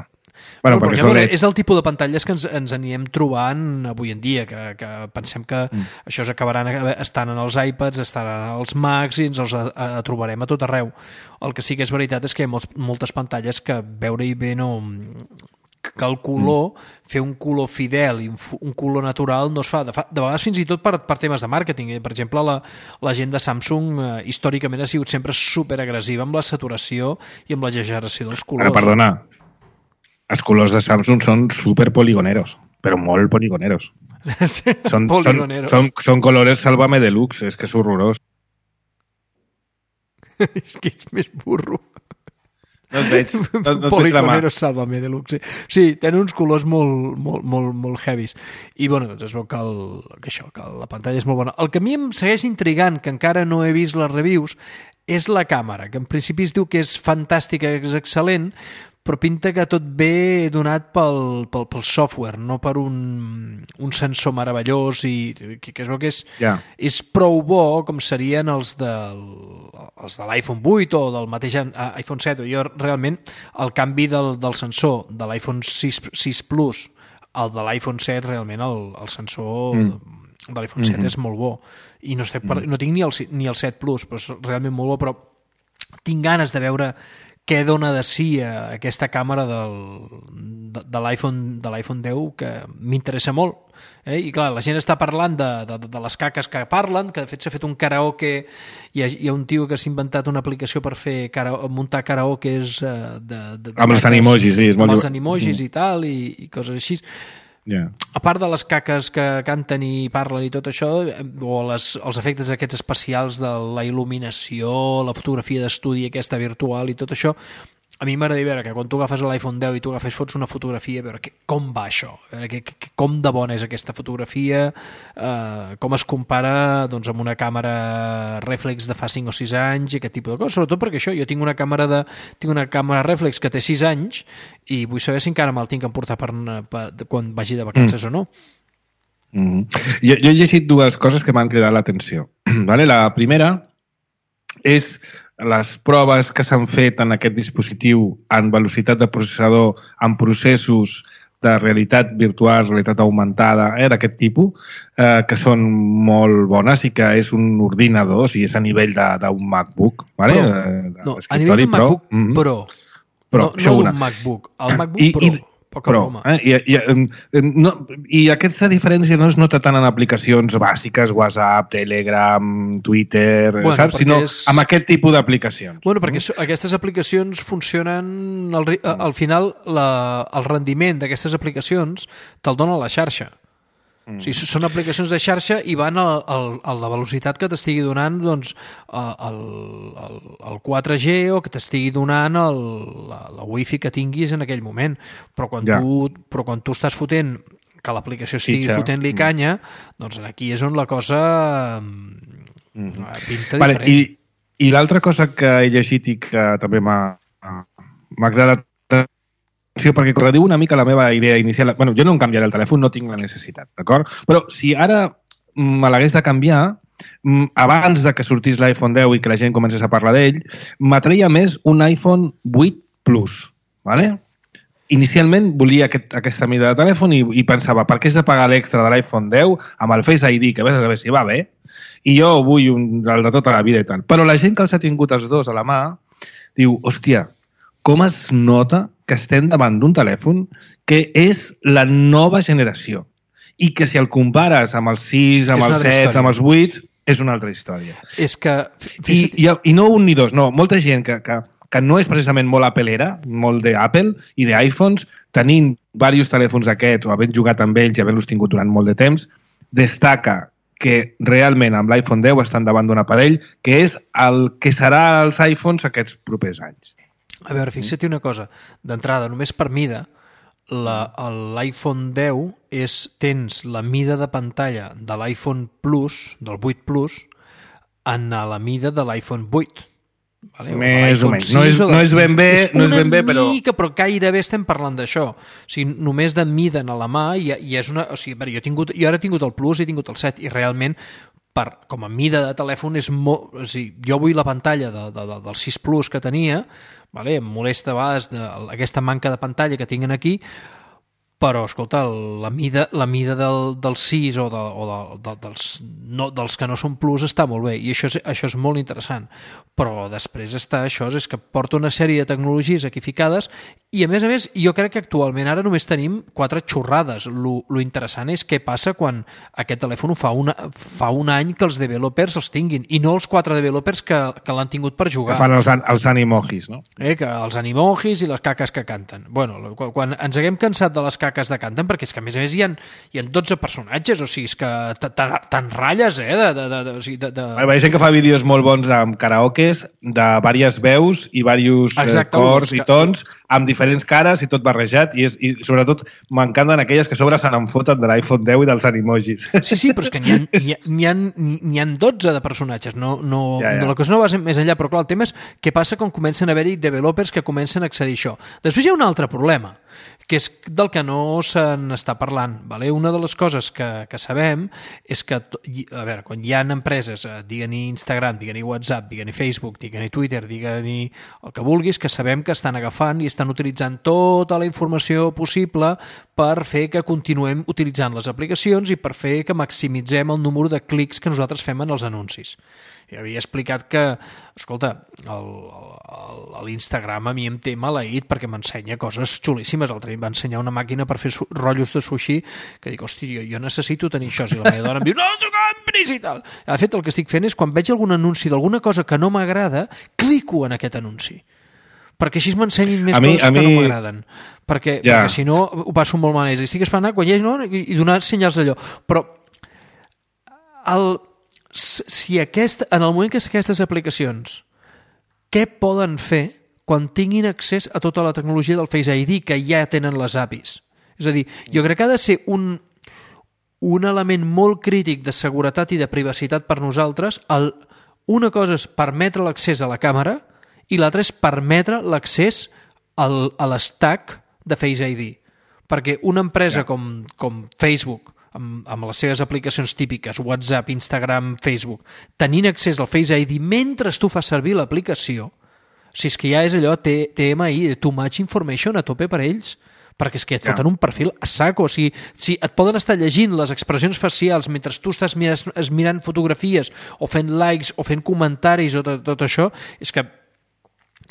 Bueno, però, perquè perquè és el tipus de pantalles que ens, ens anirem trobant avui en dia, que, que pensem que mm. això s'acabaran estant en els iPads, estaran als Macs i ens els a, a, a trobarem a tot arreu. El que sí que és veritat és que hi ha molt, moltes pantalles que veure-hi bé no... que el color, mm. fer un color fidel i un, un color natural no es fa. De, fa, de vegades fins i tot per, per temes de màrqueting. Per exemple, la, la gent de Samsung eh, històricament ha sigut sempre superagressiva amb la saturació i amb l'exageració dels colors. Ara, perdona, els colors de Samsung són super poligoneros, però molt poligoneros. són, poligoneros. Són, són, són colores Sálvame Deluxe, és que és horrorós. És que ets més burro. No et veig, no, no Poligoneros Sálvame Deluxe. Sí, tenen uns colors molt, molt, molt, molt heavies. I, bueno, doncs es veu que, el, que això, que la pantalla és molt bona. El que a mi em segueix intrigant, que encara no he vist les reviews, és la càmera, que en principi es diu que és fantàstica, és excel·lent, però pinta que tot ve donat pel, pel, pel software, no per un, un sensor meravellós i que, que es veu que és, yeah. és prou bo com serien els, del, els de l'iPhone vuit o del mateix iPhone set. Jo realment el canvi del, del sensor de l'iPhone sis, sis Plus al de l'iPhone set, realment el, el sensor mm. de l'iPhone set mm-hmm. és molt bo i no, estic per, no tinc ni el, ni el set Plus, però és realment molt bo, però tinc ganes de veure què dona de si a aquesta càmera del, de, de l'iPhone de l'iPhone deu, que m'interessa molt. Eh? I clar, la gent està parlant de, de, de les caques que parlen, que de fet s'ha fet un karaoke, hi ha, hi ha un tio que s'ha inventat una aplicació per fer cara, muntar karaokes eh, de, de, de amb els animojis, sí, és molt amb els animojis mm. i tal, i, i coses així. Yeah. A part de les caques que canten i parlen i tot això, o les, els efectes aquests especials de la il·luminació, la fotografia d'estudi aquesta virtual i tot això, a mi m'agrada veure que quan tu agafes l'iPhone deu i tu agafes, fots una fotografia, a veure que, com va això, veure, que, que, com de bona és aquesta fotografia, eh, com es compara doncs, amb una càmera reflex de fa cinc o sis anys i aquest tipus de coses, sobretot perquè això, jo tinc una càmera de tinc una càmera reflex que té sis anys i vull saber si encara me'l tinc que emportar per, per, quan vagi de vacances mm. o no. Mm. Jo, jo he llegit dues coses que m'han cridat l'atenció. Vale? La primera és les proves que s'han fet en aquest dispositiu en velocitat de processador en processos de realitat virtual, realitat augmentada, eh, d'aquest tipus, eh, que són molt bones i que és un ordinador, o sigui, és a nivell d'un MacBook. Vale? Pro. Eh, no, a nivell d'un MacBook Pro. Mm-hmm. Pro. Pro. No, no un MacBook. El MacBook I, Pro. I, Poca Pro, eh? I, i, no, i aquesta diferència no es nota tant en aplicacions bàsiques, WhatsApp, Telegram, Twitter, bueno, saps? Sinó és... amb aquest tipus d'aplicacions. Bueno, perquè no? Aquestes aplicacions funcionen... Al, al final, la, el rendiment d'aquestes aplicacions te'l dona la xarxa. Mm. O sigui, són aplicacions de xarxa i van a, a, a la velocitat que t'estigui donant doncs, el, el, el quatre G o que t'estigui donant el, la, la wifi que tinguis en aquell moment. Però quan, ja. tu, però quan tu estàs fotent que l'aplicació estigui Fitxa. fotent-li canya, doncs aquí és on la cosa mm. pinta vale, diferent. I, i l'altra cosa que he llegit i que també m'ha agradat perquè corrediu una mica la meva idea inicial. Bueno, jo no em canviaré el telèfon, no tinc la necessitat, d'acord? Però si ara me l'hagués de canviar, abans de que sortís l'iPhone deu i que la gent comencés a parlar d'ell, m'atreia més un iPhone vuit Plus, ¿vale? Inicialment volia aquest, aquesta mida de telèfon i, i pensava, per què has de pagar l'extra de l'iPhone deu amb el Face I D, que vés a saber si va bé, i jo vull un, el de tota la vida i tal. Però la gent que els ha tingut els dos a la mà diu, hòstia, com es nota que estem davant d'un telèfon que és la nova generació i que si el compares amb els sis, amb els set, amb els vuit, és una altra història. És que... I, i, I no un ni dos, no. Molta gent que, que, que no és precisament molt apelera, molt d'Apple i d'iPhones, tenint diversos telèfons d'aquests o havent jugat amb ells i havent-los tingut durant molt de temps, destaca que realment amb l'iPhone deu estan davant d'un aparell que és el que serà els iPhones aquests propers anys. A veure, fixa't una cosa. D'entrada, només per mida, l'iPhone deu és, tens la mida de pantalla de l'iPhone Plus, del vuit Plus, en la mida de l'iPhone vuit. Vale? Més o, o menys. No és, no és ben bé, és no és ben bé, però... Una mica, però gairebé estem parlant d'això. O sigui, només de mida a la mà i, i és una... O sigui, jo, he tingut, jo ara he tingut el Plus i he tingut el set i realment per, com a mida de telèfon és molt... O sigui, jo vull la pantalla de, de, de, del sis Plus que tenia, vale? Em molesta a vegades de, aquesta manca de pantalla que tinguin aquí, però, escolta, la mida, la mida del, del sis o, de, o de, de, dels, no, dels que no són Plus està molt bé i això és, això és molt interessant, però després està això, és que porta una sèrie de tecnologies aquí ficades i a més a més jo crec que actualment ara només tenim quatre xorrades. Lo, lo interessant és què passa quan aquest telèfon fa, una, fa un any que els developers els tinguin i no els quatre developers que, que l'han tingut per jugar. Que fan els, els animojis, no? Eh, que els animojis i les caques que canten. Bueno, quan, quan ens haguem cansat de les caques de canten, perquè és que a més a més hi ha, hi ha dotze personatges, o sigui, és que te'n ratlles, eh? De, de, de, de, o sigui, de, de... Hi ha gent que fa vídeos molt bons amb karaokes de diverses veus i diversos cors i tons amb diferents cares i tot barrejat i, és, i sobretot m'encanten aquelles que a sobre se n'enfoten de l'iPhone deu i dels animojis. Sí, sí, però és que n'hi ha, n'hi ha, n'hi ha dotze de personatges, no, no, ja, ja. no, la cosa no va més enllà, però clar, el tema és què passa quan comencen a haver-hi developers que comencen a accedir a això. Després hi ha un altre problema, que és del que no se n'està parlant. Vale? Una de les coses que, que sabem és que, a veure, quan hi ha empreses, digue-n'hi Instagram, digue-n'hi WhatsApp, digue-n'hi Facebook, digue-n'hi Twitter, digue-n'hi el que vulguis, que sabem que estan agafant i estan utilitzant tota la informació possible per fer que continuem utilitzant les aplicacions i per fer que maximitzem el número de clics que nosaltres fem en els anuncis. Ja havia explicat que, escolta, l'Instagram a mi em té maleït perquè m'ensenya coses xulíssimes. L'altre dia em va ensenyar una màquina per fer rotllos de sushi que dic, hosti, jo, jo necessito tenir això. I la meva dona em diu, no t'ho compris i tal. De fet, el que estic fent és, quan veig algun anunci d'alguna cosa que no m'agrada, clico en aquest anunci. Perquè així m'ensenyin més mi, coses mi... que no m'agraden. Perquè, ja. perquè si no ho passo molt malament. Estic esperant quan hi hagi, no? I, i donar senyals d'allò. Però el... si aquest, en el moment que aquestes aplicacions, què poden fer quan tinguin accés a tota la tecnologia del Face I D que ja tenen les A P Is? És a dir, jo crec que ha de ser un, un element molt crític de seguretat i de privacitat per nosaltres. El, una cosa és permetre l'accés a la càmera i l'altra és permetre l'accés al, a l'stack de Face I D. Perquè una empresa ja. com, com Facebook, amb, amb les seves aplicacions típiques, WhatsApp, Instagram, Facebook, tenint accés al Face I D mentre tu fas servir l'aplicació, si és que ja és allò T M I, Too Much Information, a tope per ells, perquè és que et foten un perfil a saco. O sigui, si et poden estar llegint les expressions facials mentre tu estàs mirant, mirant fotografies o fent likes o fent comentaris o tot, tot això, és que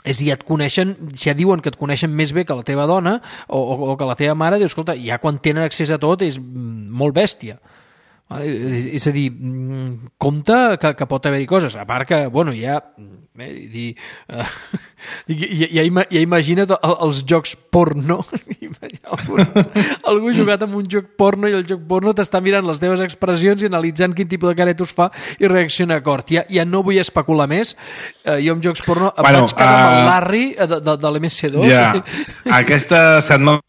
és dir, et coneixen, si ja diuen que et coneixen més bé que la teva dona o, o, o que la teva mare, dius, escolta, ja quan tenen accés a tot és molt bèstia. És a dir, compte que, que pot haver-hi coses, a part que, bueno, ja eh, dir, uh, ja, ja, ja imagina't els jocs porno. algú, algú ha jugat amb un joc porno i el joc porno t'està mirant les teves expressions i analitzant quin tipus de caretos fa i reacciona acord. Ja, ja no vull especular més. Uh, jo amb jocs porno em bueno, vaig quedar uh, amb el Larry de, de, de l'M S dos. Ja, aquesta setmana,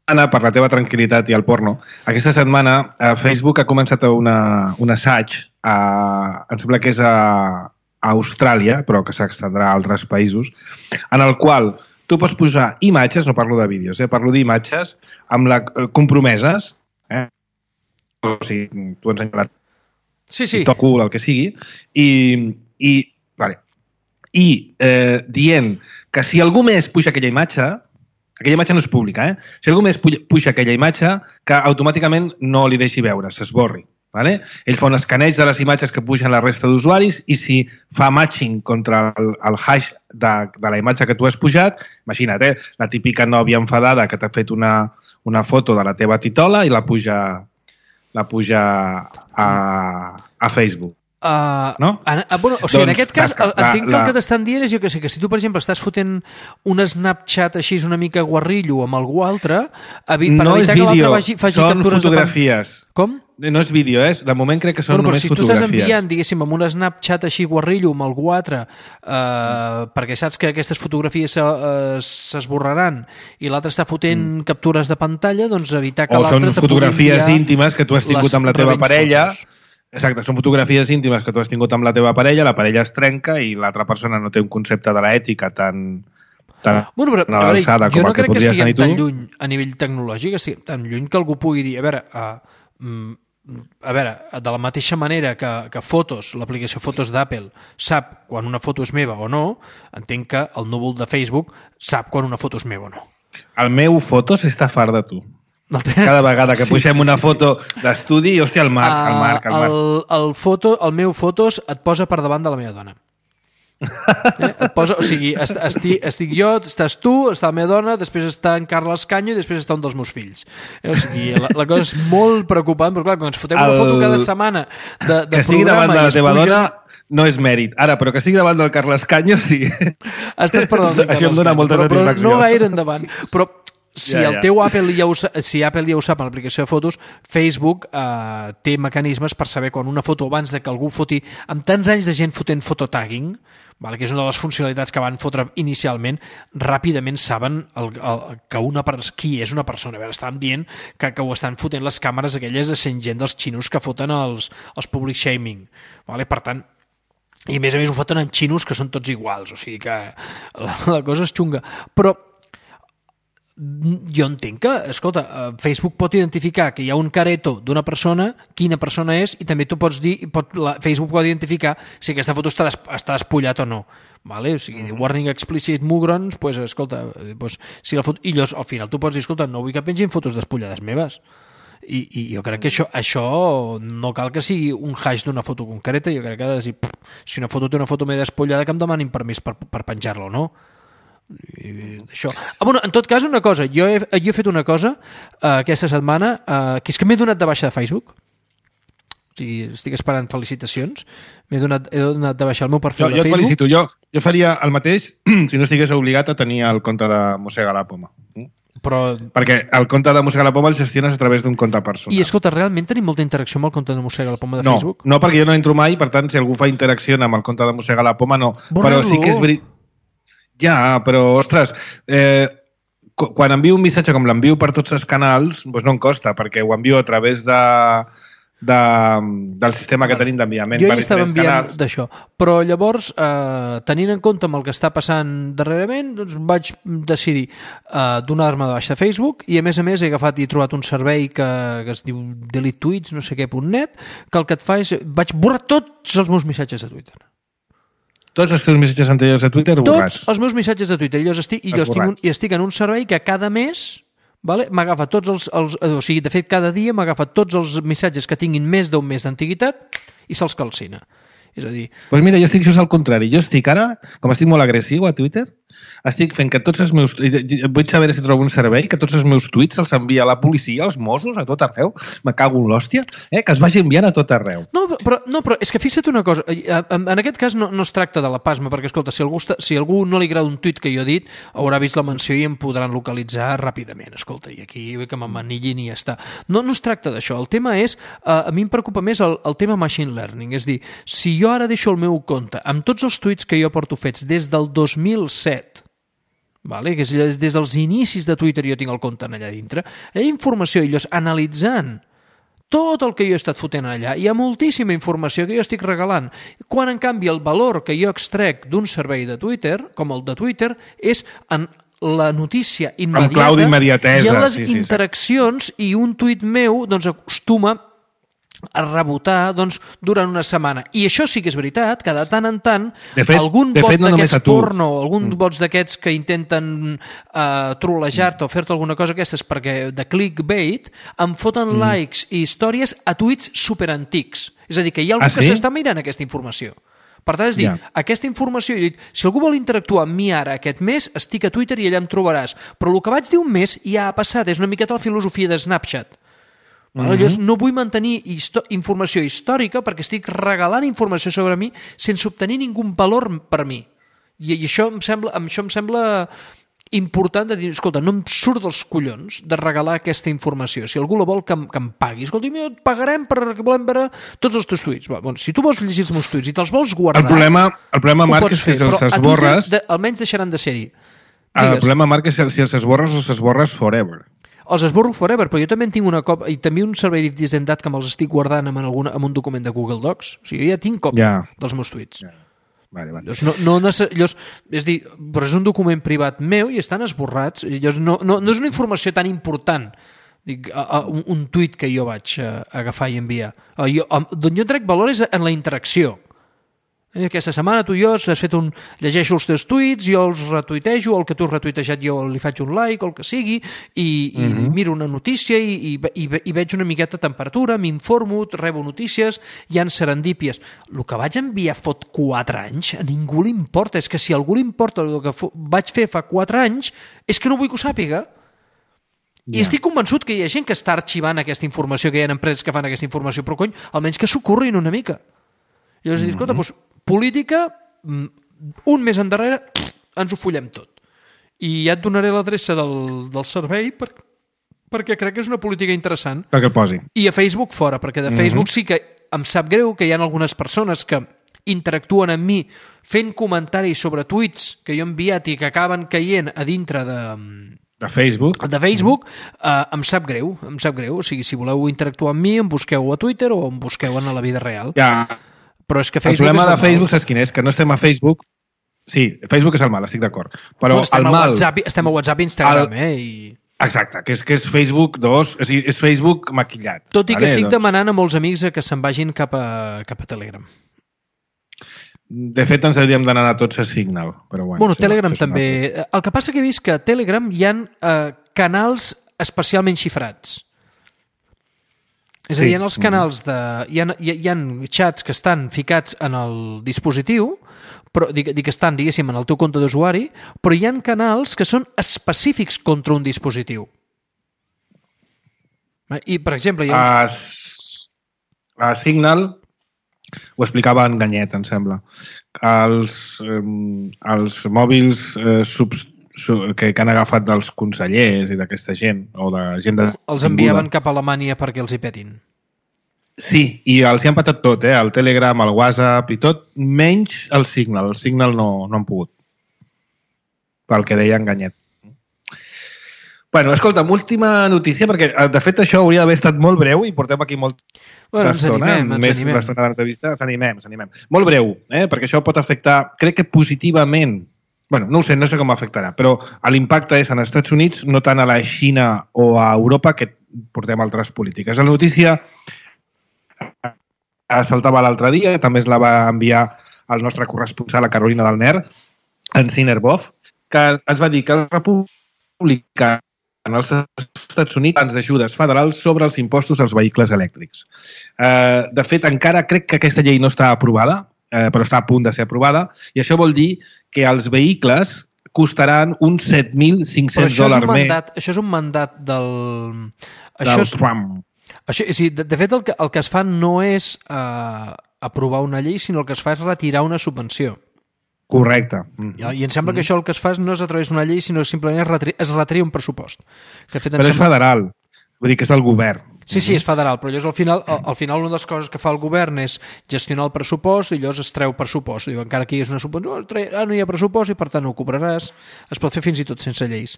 per la teva tranquil·litat i el porno, aquesta setmana eh, Facebook ha començat una, un assaig, a, em sembla que és a, a Austràlia, però que s'extendrà a altres països, en el qual tu pots posar imatges, no parlo de vídeos, eh, parlo d'imatges amb la, eh, compromeses, eh? O sigui, tu ensenyes la sí, sí. TikTok, el que sigui, i, i, vale, i eh, dient que si algú més puja aquella imatge, aquella imatge no és pública, eh? Si algú més puja aquella imatge, que automàticament no li deixi veure, s'esborri. Vale? Ell fa un escaneig de les imatges que pugen la resta d'usuaris i si fa matching contra el, el hash de, de la imatge que tu has pujat, imagina't, eh? La típica nòvia enfadada que t'ha fet una, una foto de la teva titola i la puja, la puja a, a Facebook. Uh, no? En, bueno, o sigui, doncs, en aquest cas, el, entenc que el que t'estan dient és, jo que sé, que si tu, per exemple, estàs fotent un Snapchat així una mica guarrillo amb algú altre, evi, per no evitar que l'altre faci, faci són captures fotografies. De... Com? No és vídeo, eh? De moment crec que són bueno, només si fotografies. Si tu estàs enviant, diguéssim, amb un Snapchat així guarrillo amb algú altre, eh, mm. perquè saps que aquestes fotografies s'esborraran i l'altre està fotent mm. captures de pantalla, doncs evitar que l'altre... O són fotografies íntimes que tu has tingut amb la teva parella... Fotos. Exacte, són fotografies íntimes que tu has tingut amb la teva parella, la parella es trenca i l'altra persona no té un concepte de l'ètica tan, tan bueno, però, a l'alçada com jo no el que crec que podries tenir estiguem tan tu. lluny a nivell tecnològic, estiguem tan lluny que algú pugui dir, a veure, uh, a veure, de la mateixa manera que, que Fotos, l'aplicació Fotos d'Apple, sap quan una foto és meva o no, entenc que el núvol de Facebook sap quan una foto és meva o no. El meu Fotos està fart de tu. Cada vegada que sí, pugem sí, una sí, foto sí. d'estudi, hòstia, el Marc, el Marc, el Marc. El, el, foto, el meu Fotos et posa per davant de la meva dona. Eh? Et posa, o sigui, estic, estic jo, estàs tu, està la meva dona, després està en Carles Canyo i després està un dels meus fills. Eh? O sigui, la, la cosa és molt preocupant, però clar, quan ens fotem el... una foto cada setmana de, de que sigui davant de la teva pugen... dona no és mèrit. Ara, però que sigui davant del Carles Canyo, sí. Estàs per davant del Carles Això em dona Canyo, molta però, satisfacció. Però no gaire endavant. Però si ja, el ja. teu Apple ja ho, si Apple ja ho sap en l'aplicació de fotos, Facebook eh, té mecanismes per saber quan una foto, abans de que algú foti, amb tants anys de gent fotent fototagging, vale, que és una de les funcionalitats que van fotre inicialment, ràpidament saben el, el, que una, qui és una persona. A veure, estàvem dient que, que ho estan fotent les càmeres aquelles de cent gent dels xinos que foten els, els public shaming. Vale? Per tant, i a més a més ho foten amb xinos que són tots iguals, o sigui que la, la cosa és xunga. Però jo entenc que, escolta, Facebook pot identificar que hi ha un careto d'una persona, quina persona és, i també tu pots dir, pot, la, Facebook pot identificar si aquesta foto està, des, està despullat o no. Vale? O sigui, mm. warning explicit mugrons, pues, escolta, pues, si la foto, i llavors, al final tu pots dir, escolta, no vull que pengin fotos despullades meves. I, i jo crec que això, això no cal que sigui un hash d'una foto concreta, jo crec que ha de dir, pff, si una foto té una foto més despullada, que em demanin permís per, per penjar-la o no. Això. Ah, bueno, en tot cas, una cosa, jo he, jo he fet una cosa uh, aquesta setmana, uh, que és que m'he donat de baixa de Facebook. O sigui, estic esperant felicitacions. M'he donat, he donat de baixa el meu perfil jo, de jo Facebook. Jo et felicito, jo, jo faria el mateix si no estigués obligat a tenir el compte de Mossega la Poma. Però... Perquè el compte de Mossega la Poma el gestiones a través d'un compte personal. I escolta, realment tenim molta interacció amb el compte de Mossega la Poma de no, Facebook? No, perquè jo no entro mai, per tant, si algú fa interacció amb el compte de Mossega la Poma, no. Borra-lo. Però sí que és veritat. Ja, però, ostres, eh, quan envio un missatge com l'envio per tots els canals, doncs no em costa, perquè ho envio a través de, de, del sistema que tenim d'enviament per diferents canals. Jo hi estava enviant d'això, però llavors, eh, tenint en compte amb el que està passant darrerament, doncs vaig decidir eh, donar-me de baixa a Facebook i, a més a més, he agafat i he trobat un servei que, que es diu delete tweets, no sé què, punt net, que el que et fa és... Vaig borrar tots els meus missatges de Twitter. Tots els teus missatges anteriors a Twitter borrats. Tots els meus missatges de Twitter. I jo estic, i jo estic, un, i estic en un servei que cada mes, vale, m'agafa tots els, els... O sigui, de fet, cada dia m'agafa tots els missatges que tinguin més d'un mes d'antiguitat i se'ls calcina. És a dir... Doncs pues mira, jo estic just al contrari. Jo estic ara, com estic molt agressiu a Twitter, estic fent que tots els meus... Vull saber si trobo un servei, que tots els meus tuits se'ls envia a la policia, als Mossos, a tot arreu. Me cago en l'hòstia, eh? Que es vagi enviant a tot arreu. No, però, no, però és que fixa't una cosa. En, en aquest cas no, no es tracta de la pasma, perquè, escolta, si algú, està, si algú no li agrada un tuit que jo he dit, haurà vist la menció i em podran localitzar ràpidament. Escolta, i aquí que m'amanillin i ja està. No, no es tracta d'això. El tema és... A mi em preocupa més el, el tema machine learning. És dir, si jo ara deixo el meu compte amb tots els tuits que jo porto fets des del dos mil set, vale? Que és des dels inicis de Twitter jo tinc el compte allà dintre, hi ha informació, i llavors analitzant tot el que jo he estat fotent allà, hi ha moltíssima informació que jo estic regalant, quan en canvi el valor que jo extrec d'un servei de Twitter, com el de Twitter, és en la notícia immediata, en clau d'immediatesa, i en les sí, sí, interaccions, sí. I un tuit meu doncs acostuma a rebotar doncs, durant una setmana. I això sí que és veritat, que de tant en tant de fet, algun de bot fet, no d'aquests porno, algun mm. bots d'aquests que intenten uh, trolejar-te mm. o fer-te alguna cosa aquestes perquè de clickbait, em foten mm. likes i històries a tuits superantics. És a dir, que hi ha algú ah, que sí? s'està mirant aquesta informació. Per tant, és dir, yeah. aquesta informació, dic, si algú vol interactuar amb mi ara aquest mes, estic a Twitter i allà em trobaràs. Però el que vaig dir un mes ja ha passat, és una miqueta la filosofia de Snapchat. Mm-hmm. Llavors, no vull mantenir informació històrica perquè estic regalant informació sobre mi sense obtenir ningú valor per mi. I, i això, em sembla, això em sembla important de dir, escolta, no em surt dels collons de regalar aquesta informació. Si algú la vol, que em, que em pagui. Escolta, et pagarem perquè volem veure tots els teus tuits. Bueno, si tu vols llegir els meus tuits i te'ls vols guardar... El problema, el problema Marc, és que si els esborres... Twitter, de, almenys deixaran de ser-hi. El problema, Marc, és que si els esborres, els esborres forever. els esborro forever, però jo també en tinc una còpia, i també un servei d'identitat que me'ls estic guardant en, alguna, en un document de Google Docs. O sigui, jo ja tinc còpia Ja. dels meus tuits. Ja. Vale, vale. Llavors, no, no necess... Llavors, és dir, però és un document privat meu i estan esborrats. Llavors, no, no, no és una informació tan important, dic, a, a, un, un tuit que jo vaig a, a agafar i enviar. A, jo, a, d'on jo trec valor és en la interacció. Eh, Aquesta setmana tu i jo has fet un... llegeixo els teus tuits, jo els retuitejo, el que tu has retuitejat jo li faig un like, o el que sigui, i, i Mhm. miro una notícia i, i, i, i veig una miqueta de temperatura, m'informo, rebo notícies, hi ha serendípies. El que vaig enviar fot quatre anys, a ningú li importa. És que si a algú li importa el que fo- vaig fer fa quatre anys, és que no vull que ho sàpiga. I Ja. estic convençut que hi ha gent que està arxivant aquesta informació, que hi ha empreses que fan aquesta informació, però cony, almenys que s'ho currin una mica. I llavors, mm -hmm. escolta, doncs, política, un mes endarrere, ens ho follem tot. I ja et donaré l'adreça del, del servei per, perquè crec que és una política interessant. Perquè el posi. I a Facebook fora, perquè de Facebook sí que em sap greu que hi ha algunes persones que interactuen amb mi fent comentaris sobre tuits que jo he enviat i que acaben caient a dintre de... De Facebook. de Facebook, eh, em sap greu, em sap greu. O sigui, si voleu interactuar amb mi, em busqueu a Twitter o em busqueu en la vida real. Ja. Però és que El Facebook problema és de el Facebook, mal. saps quin és? Que no estem a Facebook. Sí, Facebook és el mal, estic d'acord. Però Bueno, estem, el a mal... WhatsApp, estem a WhatsApp i Instagram, el- eh? I... Exacte, que és, que és Facebook dos, és, és Facebook maquillat. Tot i que vale? estic Doncs, demanant a molts amics que se'n vagin cap a, cap a Telegram. De fet, ens hauríem d'anar a tots a Signal. Però bueno, Bueno, això- Telegram això és una també. El que passa que he vist que a Telegram hi ha eh, canals especialment xifrats. És a Sí. dir, hi ha els canals de... Hi ha, hi ha, hi ha xats que estan ficats en el dispositiu, però, dic, dic que estan, diguéssim, en el teu compte d'usuari, però hi ha canals que són específics contra un dispositiu. I, per exemple, hi ha uns... A, S- a Signal ho explicava en Ganyet, em sembla. Els, eh, els mòbils eh, subs, su, que, que han agafat dels consellers i d'aquesta gent, o de gent de... els enviaven cap a Alemanya perquè els hi petin. Sí, i els hi han patat tot, eh? El Telegram, el WhatsApp i tot, menys el Signal. El Signal no, no han pogut. Pel que deia en Ganyet. Bueno, escolta'm, última notícia, perquè de fet això hauria d'haver estat molt breu i portem aquí molt Bueno, ens animem, ens més animem. l'estona de l'entrevista, ens animem, ens animem. Molt breu, eh? Perquè això pot afectar, crec que positivament, bueno, no ho sé, no sé com afectarà, però l'impacte és en els Estats Units, no tant a la Xina o a Europa, que portem altres polítiques. La notícia saltava l'altre dia, també es la va enviar el nostre corresponsal, la Carolina del Ner, en Sinerbov, que ens va dir que els republicans en els Estats Units plans d'ajudes federals sobre els impostos als vehicles elèctrics. Eh, de fet, encara crec que aquesta llei no està aprovada, eh, però està a punt de ser aprovada, i això vol dir que els vehicles costaran uns set mil Però cinc-cents això és, dòlars un més mandat, això és un mandat del... Això del és, Trump. això, és, de, de fet, el que, el que es fa no és eh, aprovar una llei, sinó el que es fa és retirar una subvenció. Correcte. Mm. I, I em sembla que això el que es fa no és a través d'una llei, sinó simplement es retria, es retria un pressupost. Que, de fet, em Però és sembla... federal, vull dir que és del govern. Sí, sí, és federal, però llavors al final, al, al final una de les coses que fa el govern és gestionar el pressupost i llavors es treu pressupost. Diu, encara que hi és una subvenció, no, tre... ah, no hi ha pressupost i per tant no ho cobraràs. Es pot fer fins i tot sense lleis.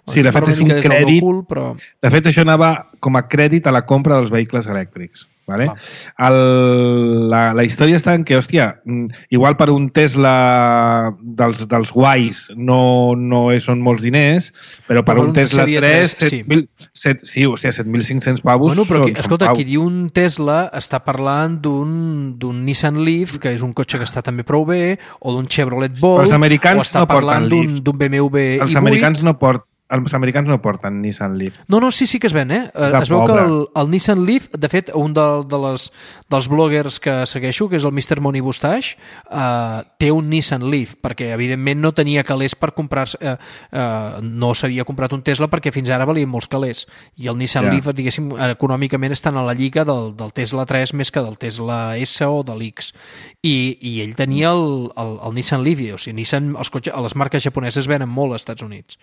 Sí, de fet, és un Parlo una mica des del meu crèdit. cul, però... De fet, això anava com a crèdit a la compra dels vehicles elèctrics. Vale? El, la, la història està en que, hòstia, mm, igual per un Tesla dels, dels guais no, no és, són molts diners, però per Però un un Tesla seria tres, tres, set mil, set, sí, o sigui, set mil cinc-cents pavos Bueno, però qui, són, són escolta, pavos. qui diu un Tesla està parlant d'un d'un Nissan Leaf, que és un cotxe que està també prou bé, o d'un Chevrolet Bolt, Els americans o està no porten parlant d'un Leaf. d'un B M W Els i vuit. americans no porten els americans no porten Nissan Leaf. No, no, sí, sí que es ven, eh? De Es veu que pobre. el, el Nissan Leaf, de fet, un de, de les, dels bloggers que segueixo, que és el mister Money Bustache, eh, té un Nissan Leaf, perquè evidentment no tenia calés per comprar-se, eh, eh, no s'havia comprat un Tesla perquè fins ara valien molts calés. I el Nissan Ja. Leaf, diguéssim, econòmicament estan a la lliga del, del Tesla tres més que del Tesla S o de l'X. I, I ell tenia el, el, el Nissan Leaf, i, o sigui, Nissan, els cotxes, les marques japoneses venen molt als Estats Units.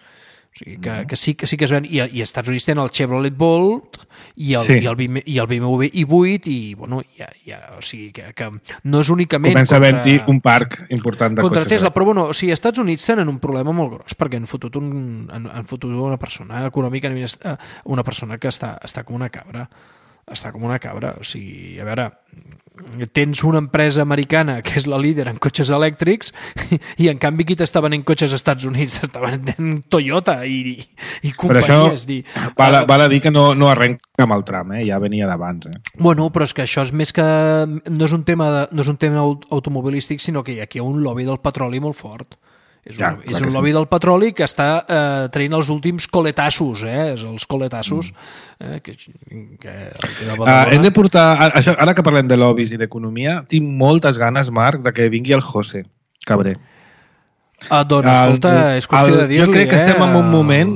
O sigui, que, que, sí, que sí que es ven, i, i als Estats Units tenen el Chevrolet Bolt i el, sí. i el, i el B M W i vuit i, bueno, ja, ja, o sigui, que, que no és únicament comença contra... a haver-hi un parc important de contra cotxes. Tesla, però bueno, o sigui, als Estats Units tenen un problema molt gros, perquè han fotut, un, han, han fotut una persona econòmica, una persona que està, està com una cabra, està com una cabra, o sigui, a veure, tens una empresa americana que és la líder en cotxes elèctrics i en canvi qui t'està venent cotxes als Estats Units està venent Toyota i, i companyies. Però això dir, val, uh, val a dir que no, no arrenca amb el tram, eh? Ja venia d'abans. Eh? Bueno, però és que això és més que... No és un tema, de, no és un tema automobilístic, sinó que aquí hi ha un lobby del petroli molt fort. És un, ja, és un lobby sí. del petroli que està eh, traient els últims coletassos, eh? Els coletassos. Eh? Que, que uh, hem de portar... Això, ara que parlem de lobbies i d'economia, tinc moltes ganes, Marc, de que vingui el José Cabré. Ah, doncs, escolta, el, és qüestió el, de dir-li, jo crec que estem eh? en un moment...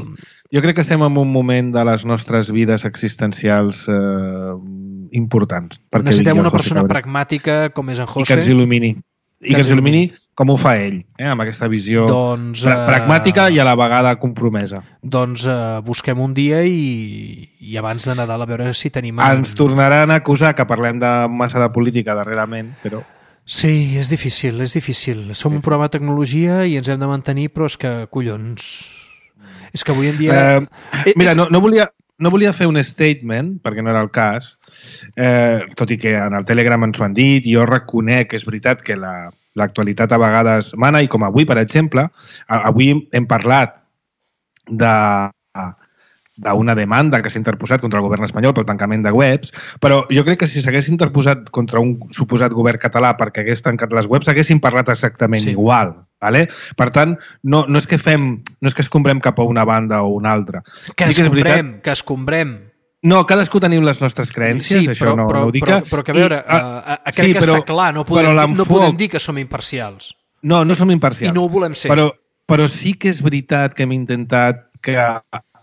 Jo crec que estem en un moment de les nostres vides existencials eh, importants. Necessitem una persona Cabré. pragmàtica com és en José. I que ens il·lumini. I que ens il·lumini com ho fa ell, eh? Amb aquesta visió doncs, pra pragmàtica i a la vegada compromesa. Doncs uh, busquem un dia i, i abans de Nadal a veure si tenim... Ens en... tornaran a acusar que parlem de massa de política darrerament, però... Sí, és difícil, és difícil. Som un programa de tecnologia i ens hem de mantenir, però és que, collons... És que avui en dia... Eh, mira, no, no, volia, no volia fer un statement, perquè no era el cas, eh, tot i que en el Telegram ens ho han dit, i jo reconec que és veritat que la, l'actualitat a vegades mana, i com avui, per exemple, avui hem parlat de d'una demanda que s'ha interposat contra el govern espanyol pel tancament de webs, però jo crec que si s'hagués interposat contra un suposat govern català perquè hagués tancat les webs, haguéssim parlat exactament sí. igual. Vale? Per tant, no, no és que fem, no és que escombrem cap a una banda o una altra. Que sí escombrem, que, veritat... que escombrem. No, cadascú tenim les nostres creences, sí, això però, no, però, no ho dic. Però, però que a veure, I, uh, uh, crec sí, que però, està clar, no podem, no podem dir que som imparcials. No, no som imparcials. I no ho volem ser. Però, però sí que és veritat que hem intentat que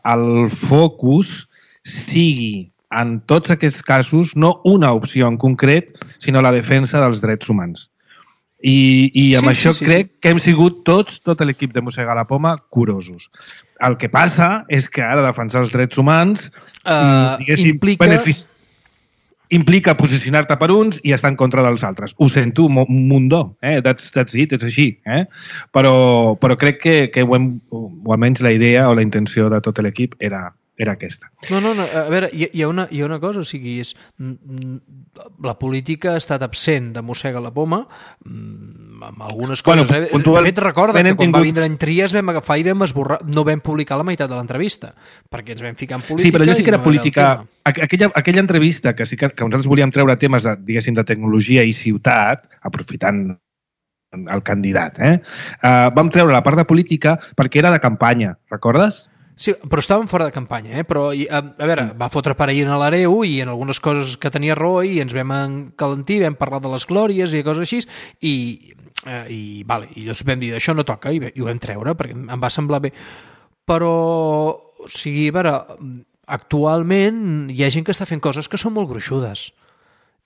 el focus sigui, en tots aquests casos, no una opció en concret, sinó la defensa dels drets humans. I, i amb sí, això sí, sí, crec sí. que hem sigut tots, tot l'equip de Mossegar la Poma, curosos. El que passa és que ara defensar els drets humans uh, implica... benefici... implica posicionar-te per uns i estar en contra dels altres. Ho sento, mundó, eh? that's, that's it, és així. Eh? Però, però crec que, que ho hem, o almenys la idea o la intenció de tot l'equip era, era aquesta. No, no, no, a veure, hi, hi, ha una, hi ha una cosa, o sigui, és, la política ha estat absent de Mossega la Poma amb algunes coses. Bueno, eh? De fet, recorda que quan tingut... va vindre en Trias vam agafar i vam esborrar, no vam publicar la meitat de l'entrevista, perquè ens vam ficar en política. Sí, però allò sí que era no política... Era aquella, aquella entrevista que sí que, que nosaltres volíem treure temes de, diguéssim, de tecnologia i ciutat, aprofitant el candidat, eh? Uh, vam treure la part de política perquè era de campanya, recordes? Sí, però estàvem fora de campanya, eh? Però, a, a veure, va fotre paraïn a l'Areu i en algunes coses que tenia raó i ens vam encalentir, vam parlar de les glòries i coses així, i, eh, i, vale, i llavors vam dir, això no toca, i, i ho vam treure, perquè em va semblar bé. Però, o sigui, a veure, actualment hi ha gent que està fent coses que són molt gruixudes.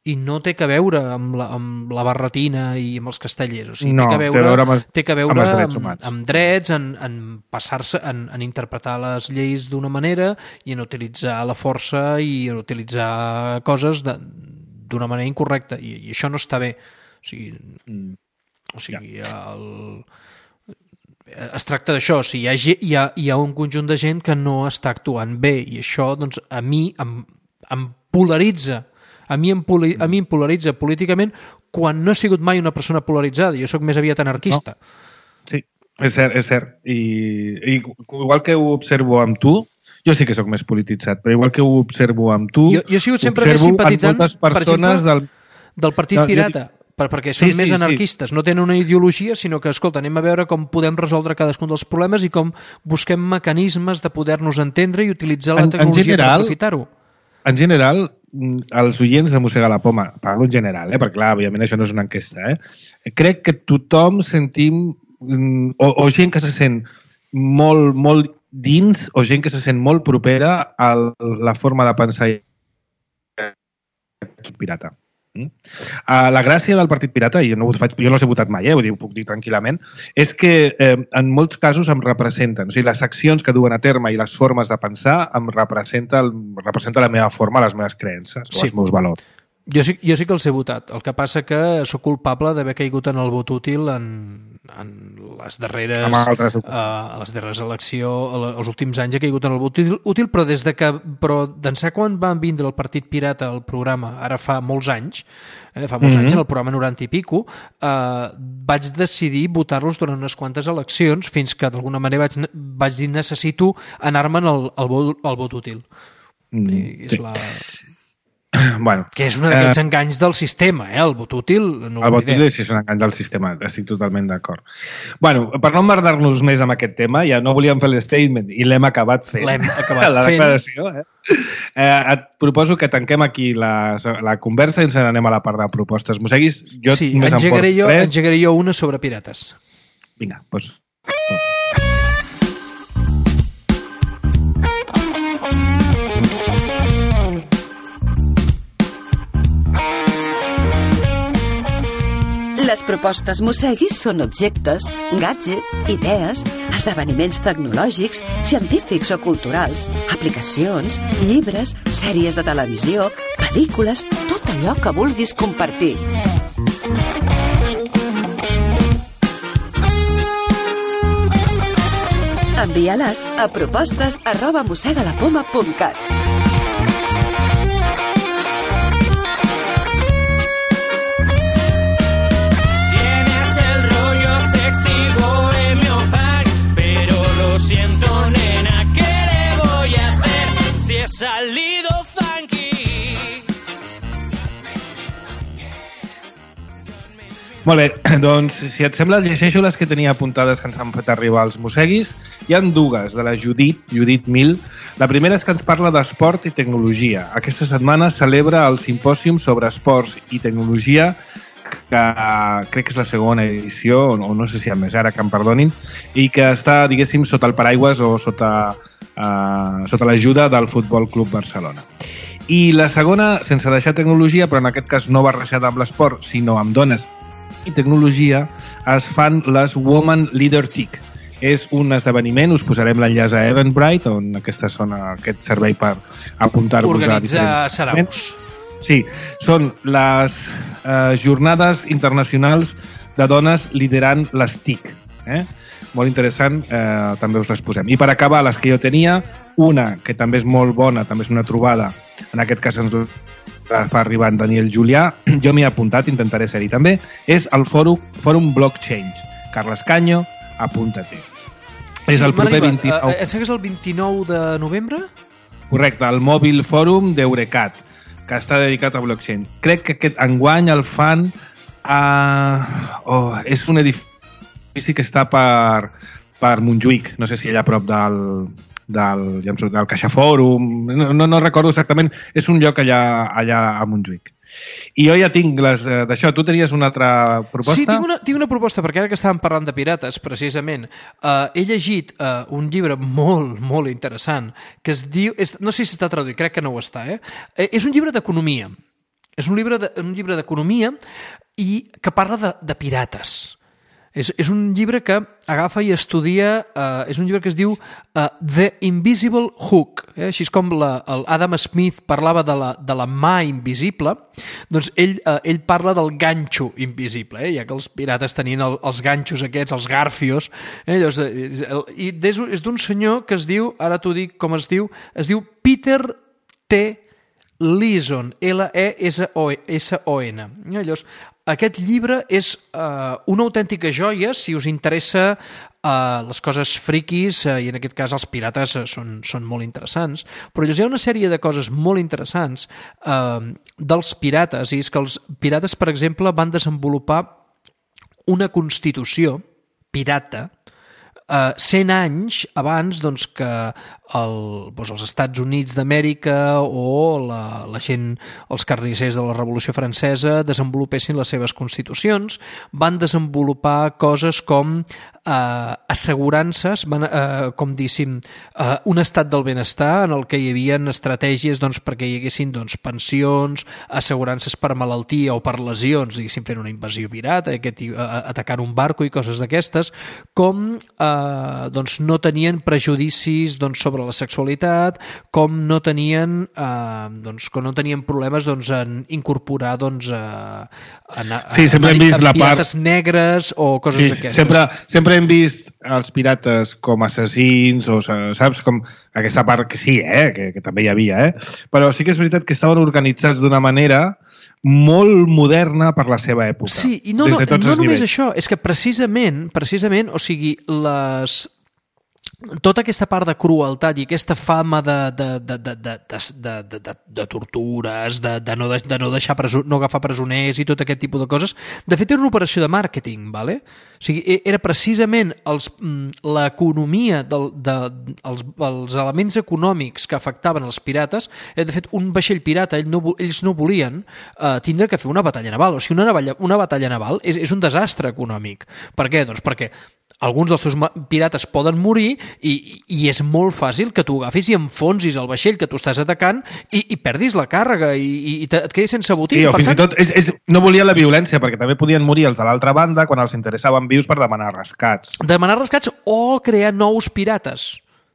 I no té que veure amb la, amb la barretina i amb els castellers. O sigui, no, té que veure, té, veure amb, té que veure amb, drets amb, amb drets, en, en passar-se, en, en interpretar les lleis d'una manera i en utilitzar la força i en utilitzar coses d'una manera incorrecta. I, I això no està bé. O sigui, o sigui el... es tracta d'això. O sigui, hi, ha, hi, ha, hi ha un conjunt de gent que no està actuant bé i això doncs, a mi em, em polaritza. A mi, em poli, a mi em polaritza políticament quan no he sigut mai una persona polaritzada. Jo sóc més aviat anarquista. No. Sí, és cert, és cert. I, I igual que ho observo amb tu, jo sí que sóc més polititzat, però igual que ho observo amb tu, jo, jo he sigut sempre més simpatitzant, per exemple, del, del Partit no, Pirata, jo... per, perquè són sí, més sí, anarquistes. Sí. No tenen una ideologia, sinó que, escolta, anem a veure com podem resoldre cadascun dels problemes i com busquem mecanismes de poder-nos entendre i utilitzar la tecnologia en general, per aprofitar-ho. En general, els oients de Mossegar la Poma, parlo en general, eh? perquè clar, òbviament això no és una enquesta, eh? crec que tothom sentim, o, o gent que se sent molt, molt dins, o gent que se sent molt propera a la forma de pensar tot pirata. Uh, la gràcia del Partit Pirata, i jo no, ho faig, jo no els he votat mai, eh, ho, dic, ho puc dir tranquil·lament, és que eh, en molts casos em representen. O sigui, les accions que duen a terme i les formes de pensar em representa, el, representa la meva forma, les meves creences o sí. els meus valors. Jo sí, jo sí que els he votat. El que passa que sóc culpable d'haver caigut en el vot útil en, en les darreres uh, les darreres eleccions, els últims anys he caigut en el vot útil, però des de que però d'ençà quan van vindre el Partit Pirata al programa, ara fa molts anys, eh, fa molts mm-hmm. anys, en el programa noranta i pico, eh, vaig decidir votar-los durant unes quantes eleccions fins que d'alguna manera vaig, vaig dir necessito anar-me'n al, al, vot, al vot útil. Mm, I és sí. la... Bueno, que és un d'aquests eh, enganys del sistema, eh? El vot útil no el vot útil sí és un engany del sistema, estic totalment d'acord. Bueno, per no emmerdar-nos més amb aquest tema, ja no volíem fer l'statement i l'hem acabat fent. L'hem acabat la fent. Declaració, eh? Eh, et proposo que tanquem aquí la, la conversa i ens n'anem a la part de propostes. Mosseguis, jo sí, més engegaré em jo, res. engegaré jo una sobre pirates. Vinga, doncs... Les propostes Mosseguis són objectes, gadgets, idees, esdeveniments tecnològics, científics o culturals, aplicacions, llibres, sèries de televisió, pel·lícules, tot allò que vulguis compartir. Envia-les a propostes arroba mossegalapoma punt cat. Siento, nena, ¿qué le voy a hacer si he salido funky? Molt bé, doncs, si et sembla, llegeixo les que tenia apuntades que ens han fet arribar als Mosseguis. Hi ha dues, de la Judit, Judit Mil. La primera és que ens parla d'esport i tecnologia. Aquesta setmana celebra el simpòsium sobre esports i tecnologia, que crec que és la segona edició, o no sé si hi ha més ara, que em perdonin, i que està, diguéssim, sota el paraigües o sota, uh, sota l'ajuda del Futbol Club Barcelona. I la segona, sense deixar tecnologia, però en aquest cas no barrejada amb l'esport, sinó amb dones i tecnologia, es fan les Woman Leader T I C. És un esdeveniment, us posarem l'enllaç a Eventbrite, on aquesta zona, aquest servei per apuntar-vos a diferents... Organitza saraus. Sí, són les eh, jornades internacionals de dones liderant les T I C. Eh? Molt interessant, eh, també us les posem. I per acabar, les que jo tenia, una que també és molt bona, també és una trobada, en aquest cas ens la fa arribar en Daniel Julià, jo m'hi he apuntat, intentaré ser-hi també, és el fòrum, fòrum Blockchain. Carles Canyo, apunta-te. Sí, és el proper vint-i-nou... Em sembla que és el vint-i-nou de novembre? Correcte, el Mòbil Fòrum d'Eurecat, que està dedicat a blockchain. Crec que aquest enguany el fan a... Oh, és un edifici que està per, per Montjuïc, no sé si allà a prop del, del, del Caixa Fòrum, no, no, no recordo exactament, és un lloc allà, allà a Montjuïc. I jo ja tinc les d'això. Tu tenies una altra proposta? Sí, tinc una, tinc una proposta, perquè ara que estàvem parlant de pirates, precisament, eh, he llegit eh, un llibre molt, molt interessant, que es diu... És, no sé si està traduït, crec que no ho està, eh? eh és un llibre d'economia. És un llibre de, un llibre d'economia i que parla de, de pirates. És, és un llibre que agafa i estudia, eh, és un llibre que es diu uh, The Invisible Hook, eh? Així com la, el Adam Smith parlava de la, de la mà invisible, doncs ell, eh, ell parla del ganxo invisible, eh? Ja que els pirates tenien el, els ganxos aquests, els garfios, eh? Llavors, eh, i és, és d'un senyor que es diu, ara t'ho dic com es diu, es diu Peter T. Leeson, L E S O N. Llavors, aquest llibre és uh, una autèntica joia si us interessa uh, les coses friquis, uh, i en aquest cas els pirates uh, són, són molt interessants, però hi ha una sèrie de coses molt interessants uh, dels pirates, i és que els pirates, per exemple, van desenvolupar una constitució pirata Uh, cent anys abans doncs, que el, doncs els Estats Units d'Amèrica o la, la gent, els carnissers de la Revolució Francesa desenvolupessin les seves constitucions, van desenvolupar coses com eh, assegurances, van, eh, com diguéssim, eh, un estat del benestar en el que hi havia estratègies doncs, perquè hi haguessin doncs, pensions, assegurances per malaltia o per lesions, diguéssim, fent una invasió pirata, aquest, eh, atacant un barco i coses d'aquestes, com eh, doncs, no tenien prejudicis doncs, sobre la sexualitat, com no tenien, eh, doncs, com no tenien problemes doncs, en incorporar doncs, a, a, a, sí, sempre a, hem vist a la pirates part... negres o coses sí, d'aquestes. Sempre, sempre hem vist els pirates com assassins o, saps, com aquesta part que sí, eh, que, que també hi havia, eh? Però sí que és veritat que estaven organitzats d'una manera molt moderna per la seva època. Sí, i no, no, de no només nivells. això, és que precisament, precisament, o sigui, les... tota aquesta part de crueltat i aquesta fama de, de, de, de, de, de, de, de, de tortures, de, de, no, de no deixar preso, no agafar presoners i tot aquest tipus de coses, de fet era una operació de màrqueting, ¿vale? O sigui, era precisament els, l'economia, del, de, els, els elements econòmics que afectaven els pirates. De fet, un vaixell pirata, ells no, ells no volien eh, tindre que fer una batalla naval. O sigui, una, navalla, una batalla naval és, és un desastre econòmic. Per què? Doncs perquè alguns dels teus pirates poden morir i, i és molt fàcil que tu agafis i enfonsis el vaixell que tu estàs atacant i, i perdis la càrrega i, i, i et quedis sense botí. Sí, o per fins tant... i tot és, és, no volia la violència perquè també podien morir els de l'altra banda quan els interessaven vius per demanar rescats. Demanar rescats o crear nous pirates.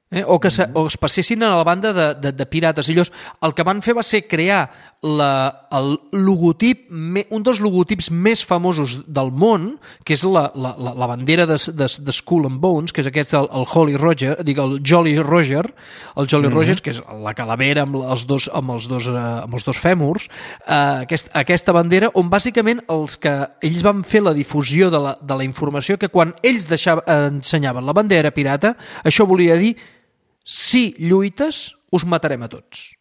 Eh? O que se, o es passessin a la banda de, de, de pirates. I llavors, el que van fer va ser crear la, el logotip, un dels logotips més famosos del món, que és la, la, la bandera de, de, de Skull and Bones, que és aquest, el, el Holy Roger, dic, el Jolly Roger, el Jolly mm-hmm. Roger, que és la calavera amb els dos, amb els dos, uh, amb els dos fèmurs, uh, aquest, aquesta bandera, on bàsicament els que ells van fer la difusió de la, de la informació, que quan ells deixaven, ensenyaven la bandera pirata, això volia dir si lluites, us matarem a tots.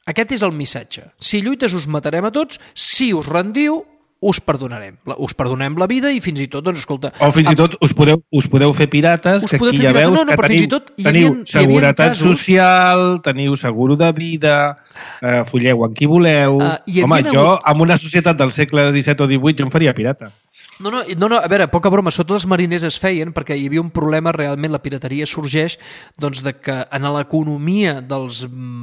Aquest és el missatge. Si lluites, us matarem a tots. Si us rendiu, us perdonarem. Us perdonem la vida i fins i tot, doncs, escolta... O fins i tot us podeu, us podeu fer pirates, que aquí ja veus no, no, que teniu, tot, teniu havia, seguretat casos... social, teniu seguro de vida, eh, folleu amb qui voleu... Uh, Home, jo, hagut... en una societat del segle disset o divuit, jo em faria pirata. No, no, no, no, a veure, poca broma, sota els mariners es feien perquè hi havia un problema, realment la pirateria sorgeix doncs de que en l'economia dels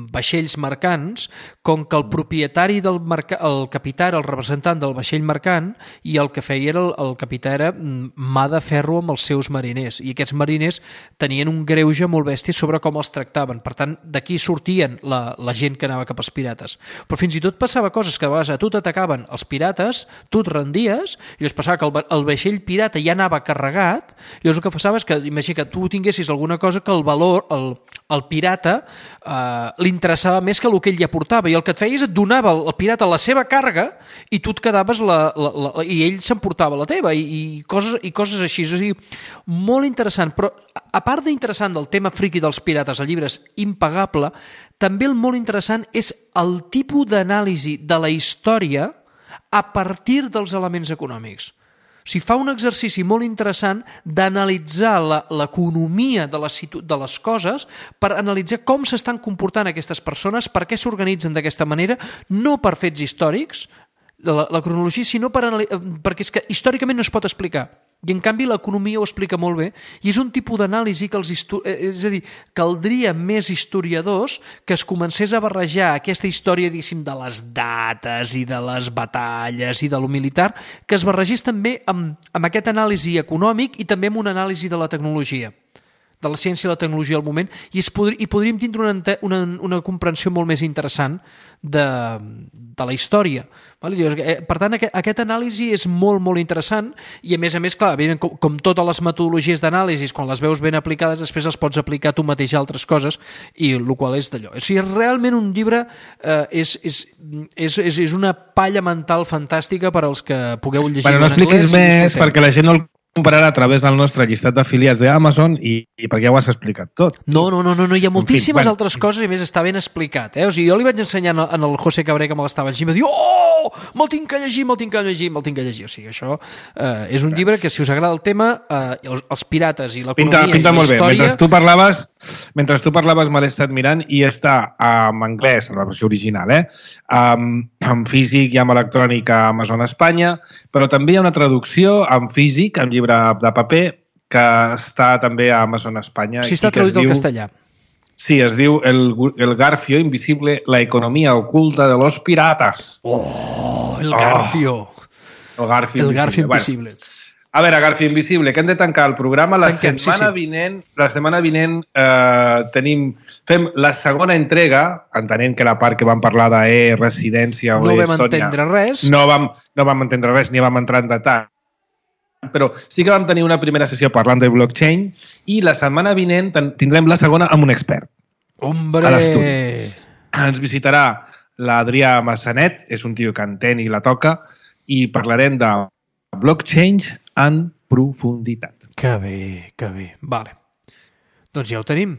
vaixells mercants, com que el propietari del mercat, el capità era el representant del vaixell mercant i el que feia era el, el capità era mà de ferro amb els seus mariners i aquests mariners tenien un greuge molt bèstia sobre com els tractaven, per tant d'aquí sortien la, la gent que anava cap als pirates, però fins i tot passava coses que a vegades a tu t'atacaven els pirates, tu et rendies i es passava que el, el vaixell pirata ja anava carregat i llavors el que passava és que imagina que tu tinguessis alguna cosa que el valor, el, el pirata eh, li interessava més que el que ell ja portava i el que et feia és et donava el, el pirata la seva càrrega i tu et quedaves la, la, la, la, i ell s'emportava la teva i, i, coses, i coses així, o sigui, molt interessant, però a part d'interessant del tema friqui dels pirates, el llibre és impagable, també el molt interessant és el tipus d'anàlisi de la història a partir dels elements econòmics. O sigui, fa un exercici molt interessant d'analitzar l'economia de les, de les coses per analitzar com s'estan comportant aquestes persones, per què s'organitzen d'aquesta manera, no per fets històrics, la, la cronologia, sinó per, perquè és que històricament no es pot explicar. I en canvi l'economia ho explica molt bé i és un tipus d'anàlisi que els és a dir, caldria més historiadors que es comencés a barrejar aquesta història, diguéssim, de les dates i de les batalles i de lo militar, que es barregés també amb, amb aquest anàlisi econòmic i també amb una anàlisi de la tecnologia, de la ciència i la tecnologia al moment, i, es podri, i podríem tindre una, una, una comprensió molt més interessant de, de la història. Per tant, aquest, aquest anàlisi és molt, molt interessant i, a més a més, clar, com, com totes les metodologies d'anàlisi, quan les veus ben aplicades, després les pots aplicar tu mateix a altres coses, i el qual és d'allò. O sigui, realment un llibre eh, és, és, és, és, és una palla mental fantàstica per als que pugueu llegir bueno, no en anglès. No expliquis més, perquè la gent no el comparar a través del nostre llistat d'afiliats d'Amazon i, i perquè ja ho has explicat tot. No, no, no, no, no hi ha moltíssimes en fi, bueno. altres coses i a més està ben explicat. Eh? O sigui, jo li vaig ensenyar en el José Cabré que me l'estava llegint i va dir oh, me'l tinc que llegir, me'l tinc que llegir, me'l tinc que llegir. O sigui, això eh, és un llibre que si us agrada el tema, eh, els, els pirates i l'economia pinta, pinta i la molt història... Bé. Mentre tu parlaves, mentre tu parlaves me l'he estat mirant i està en anglès, en la versió original, eh? Um, en físic i en electrònic a Amazon Espanya, però també hi ha una traducció en físic, en llibre de paper, que està també a Amazon Espanya. Sí, està traduït al castellà. Sí, es diu el, el Garfio Invisible, la economía oculta de los piratas. Oh, el Garfio. Oh, el Garfio el Garfio Invisible. Invisible. Bueno, a veure, Garfio Invisible, que hem de tancar el programa. La Tanquem, setmana sí, sí. vinent, la setmana vinent eh, tenim, fem la segona entrega, entenent que la part que vam parlar d'E, residència o no Estònia... No vam entendre res. No vam, no vam entendre res, ni vam entrar en detall. Però sí que vam tenir una primera sessió parlant de blockchain i la setmana vinent tindrem la segona amb un expert. Hombre! A l'estudi. Ens visitarà l'Adrià Massanet, és un tio que entén i la toca, i parlarem de blockchain en profunditat. Que bé, que bé. Vale. Doncs ja ho tenim.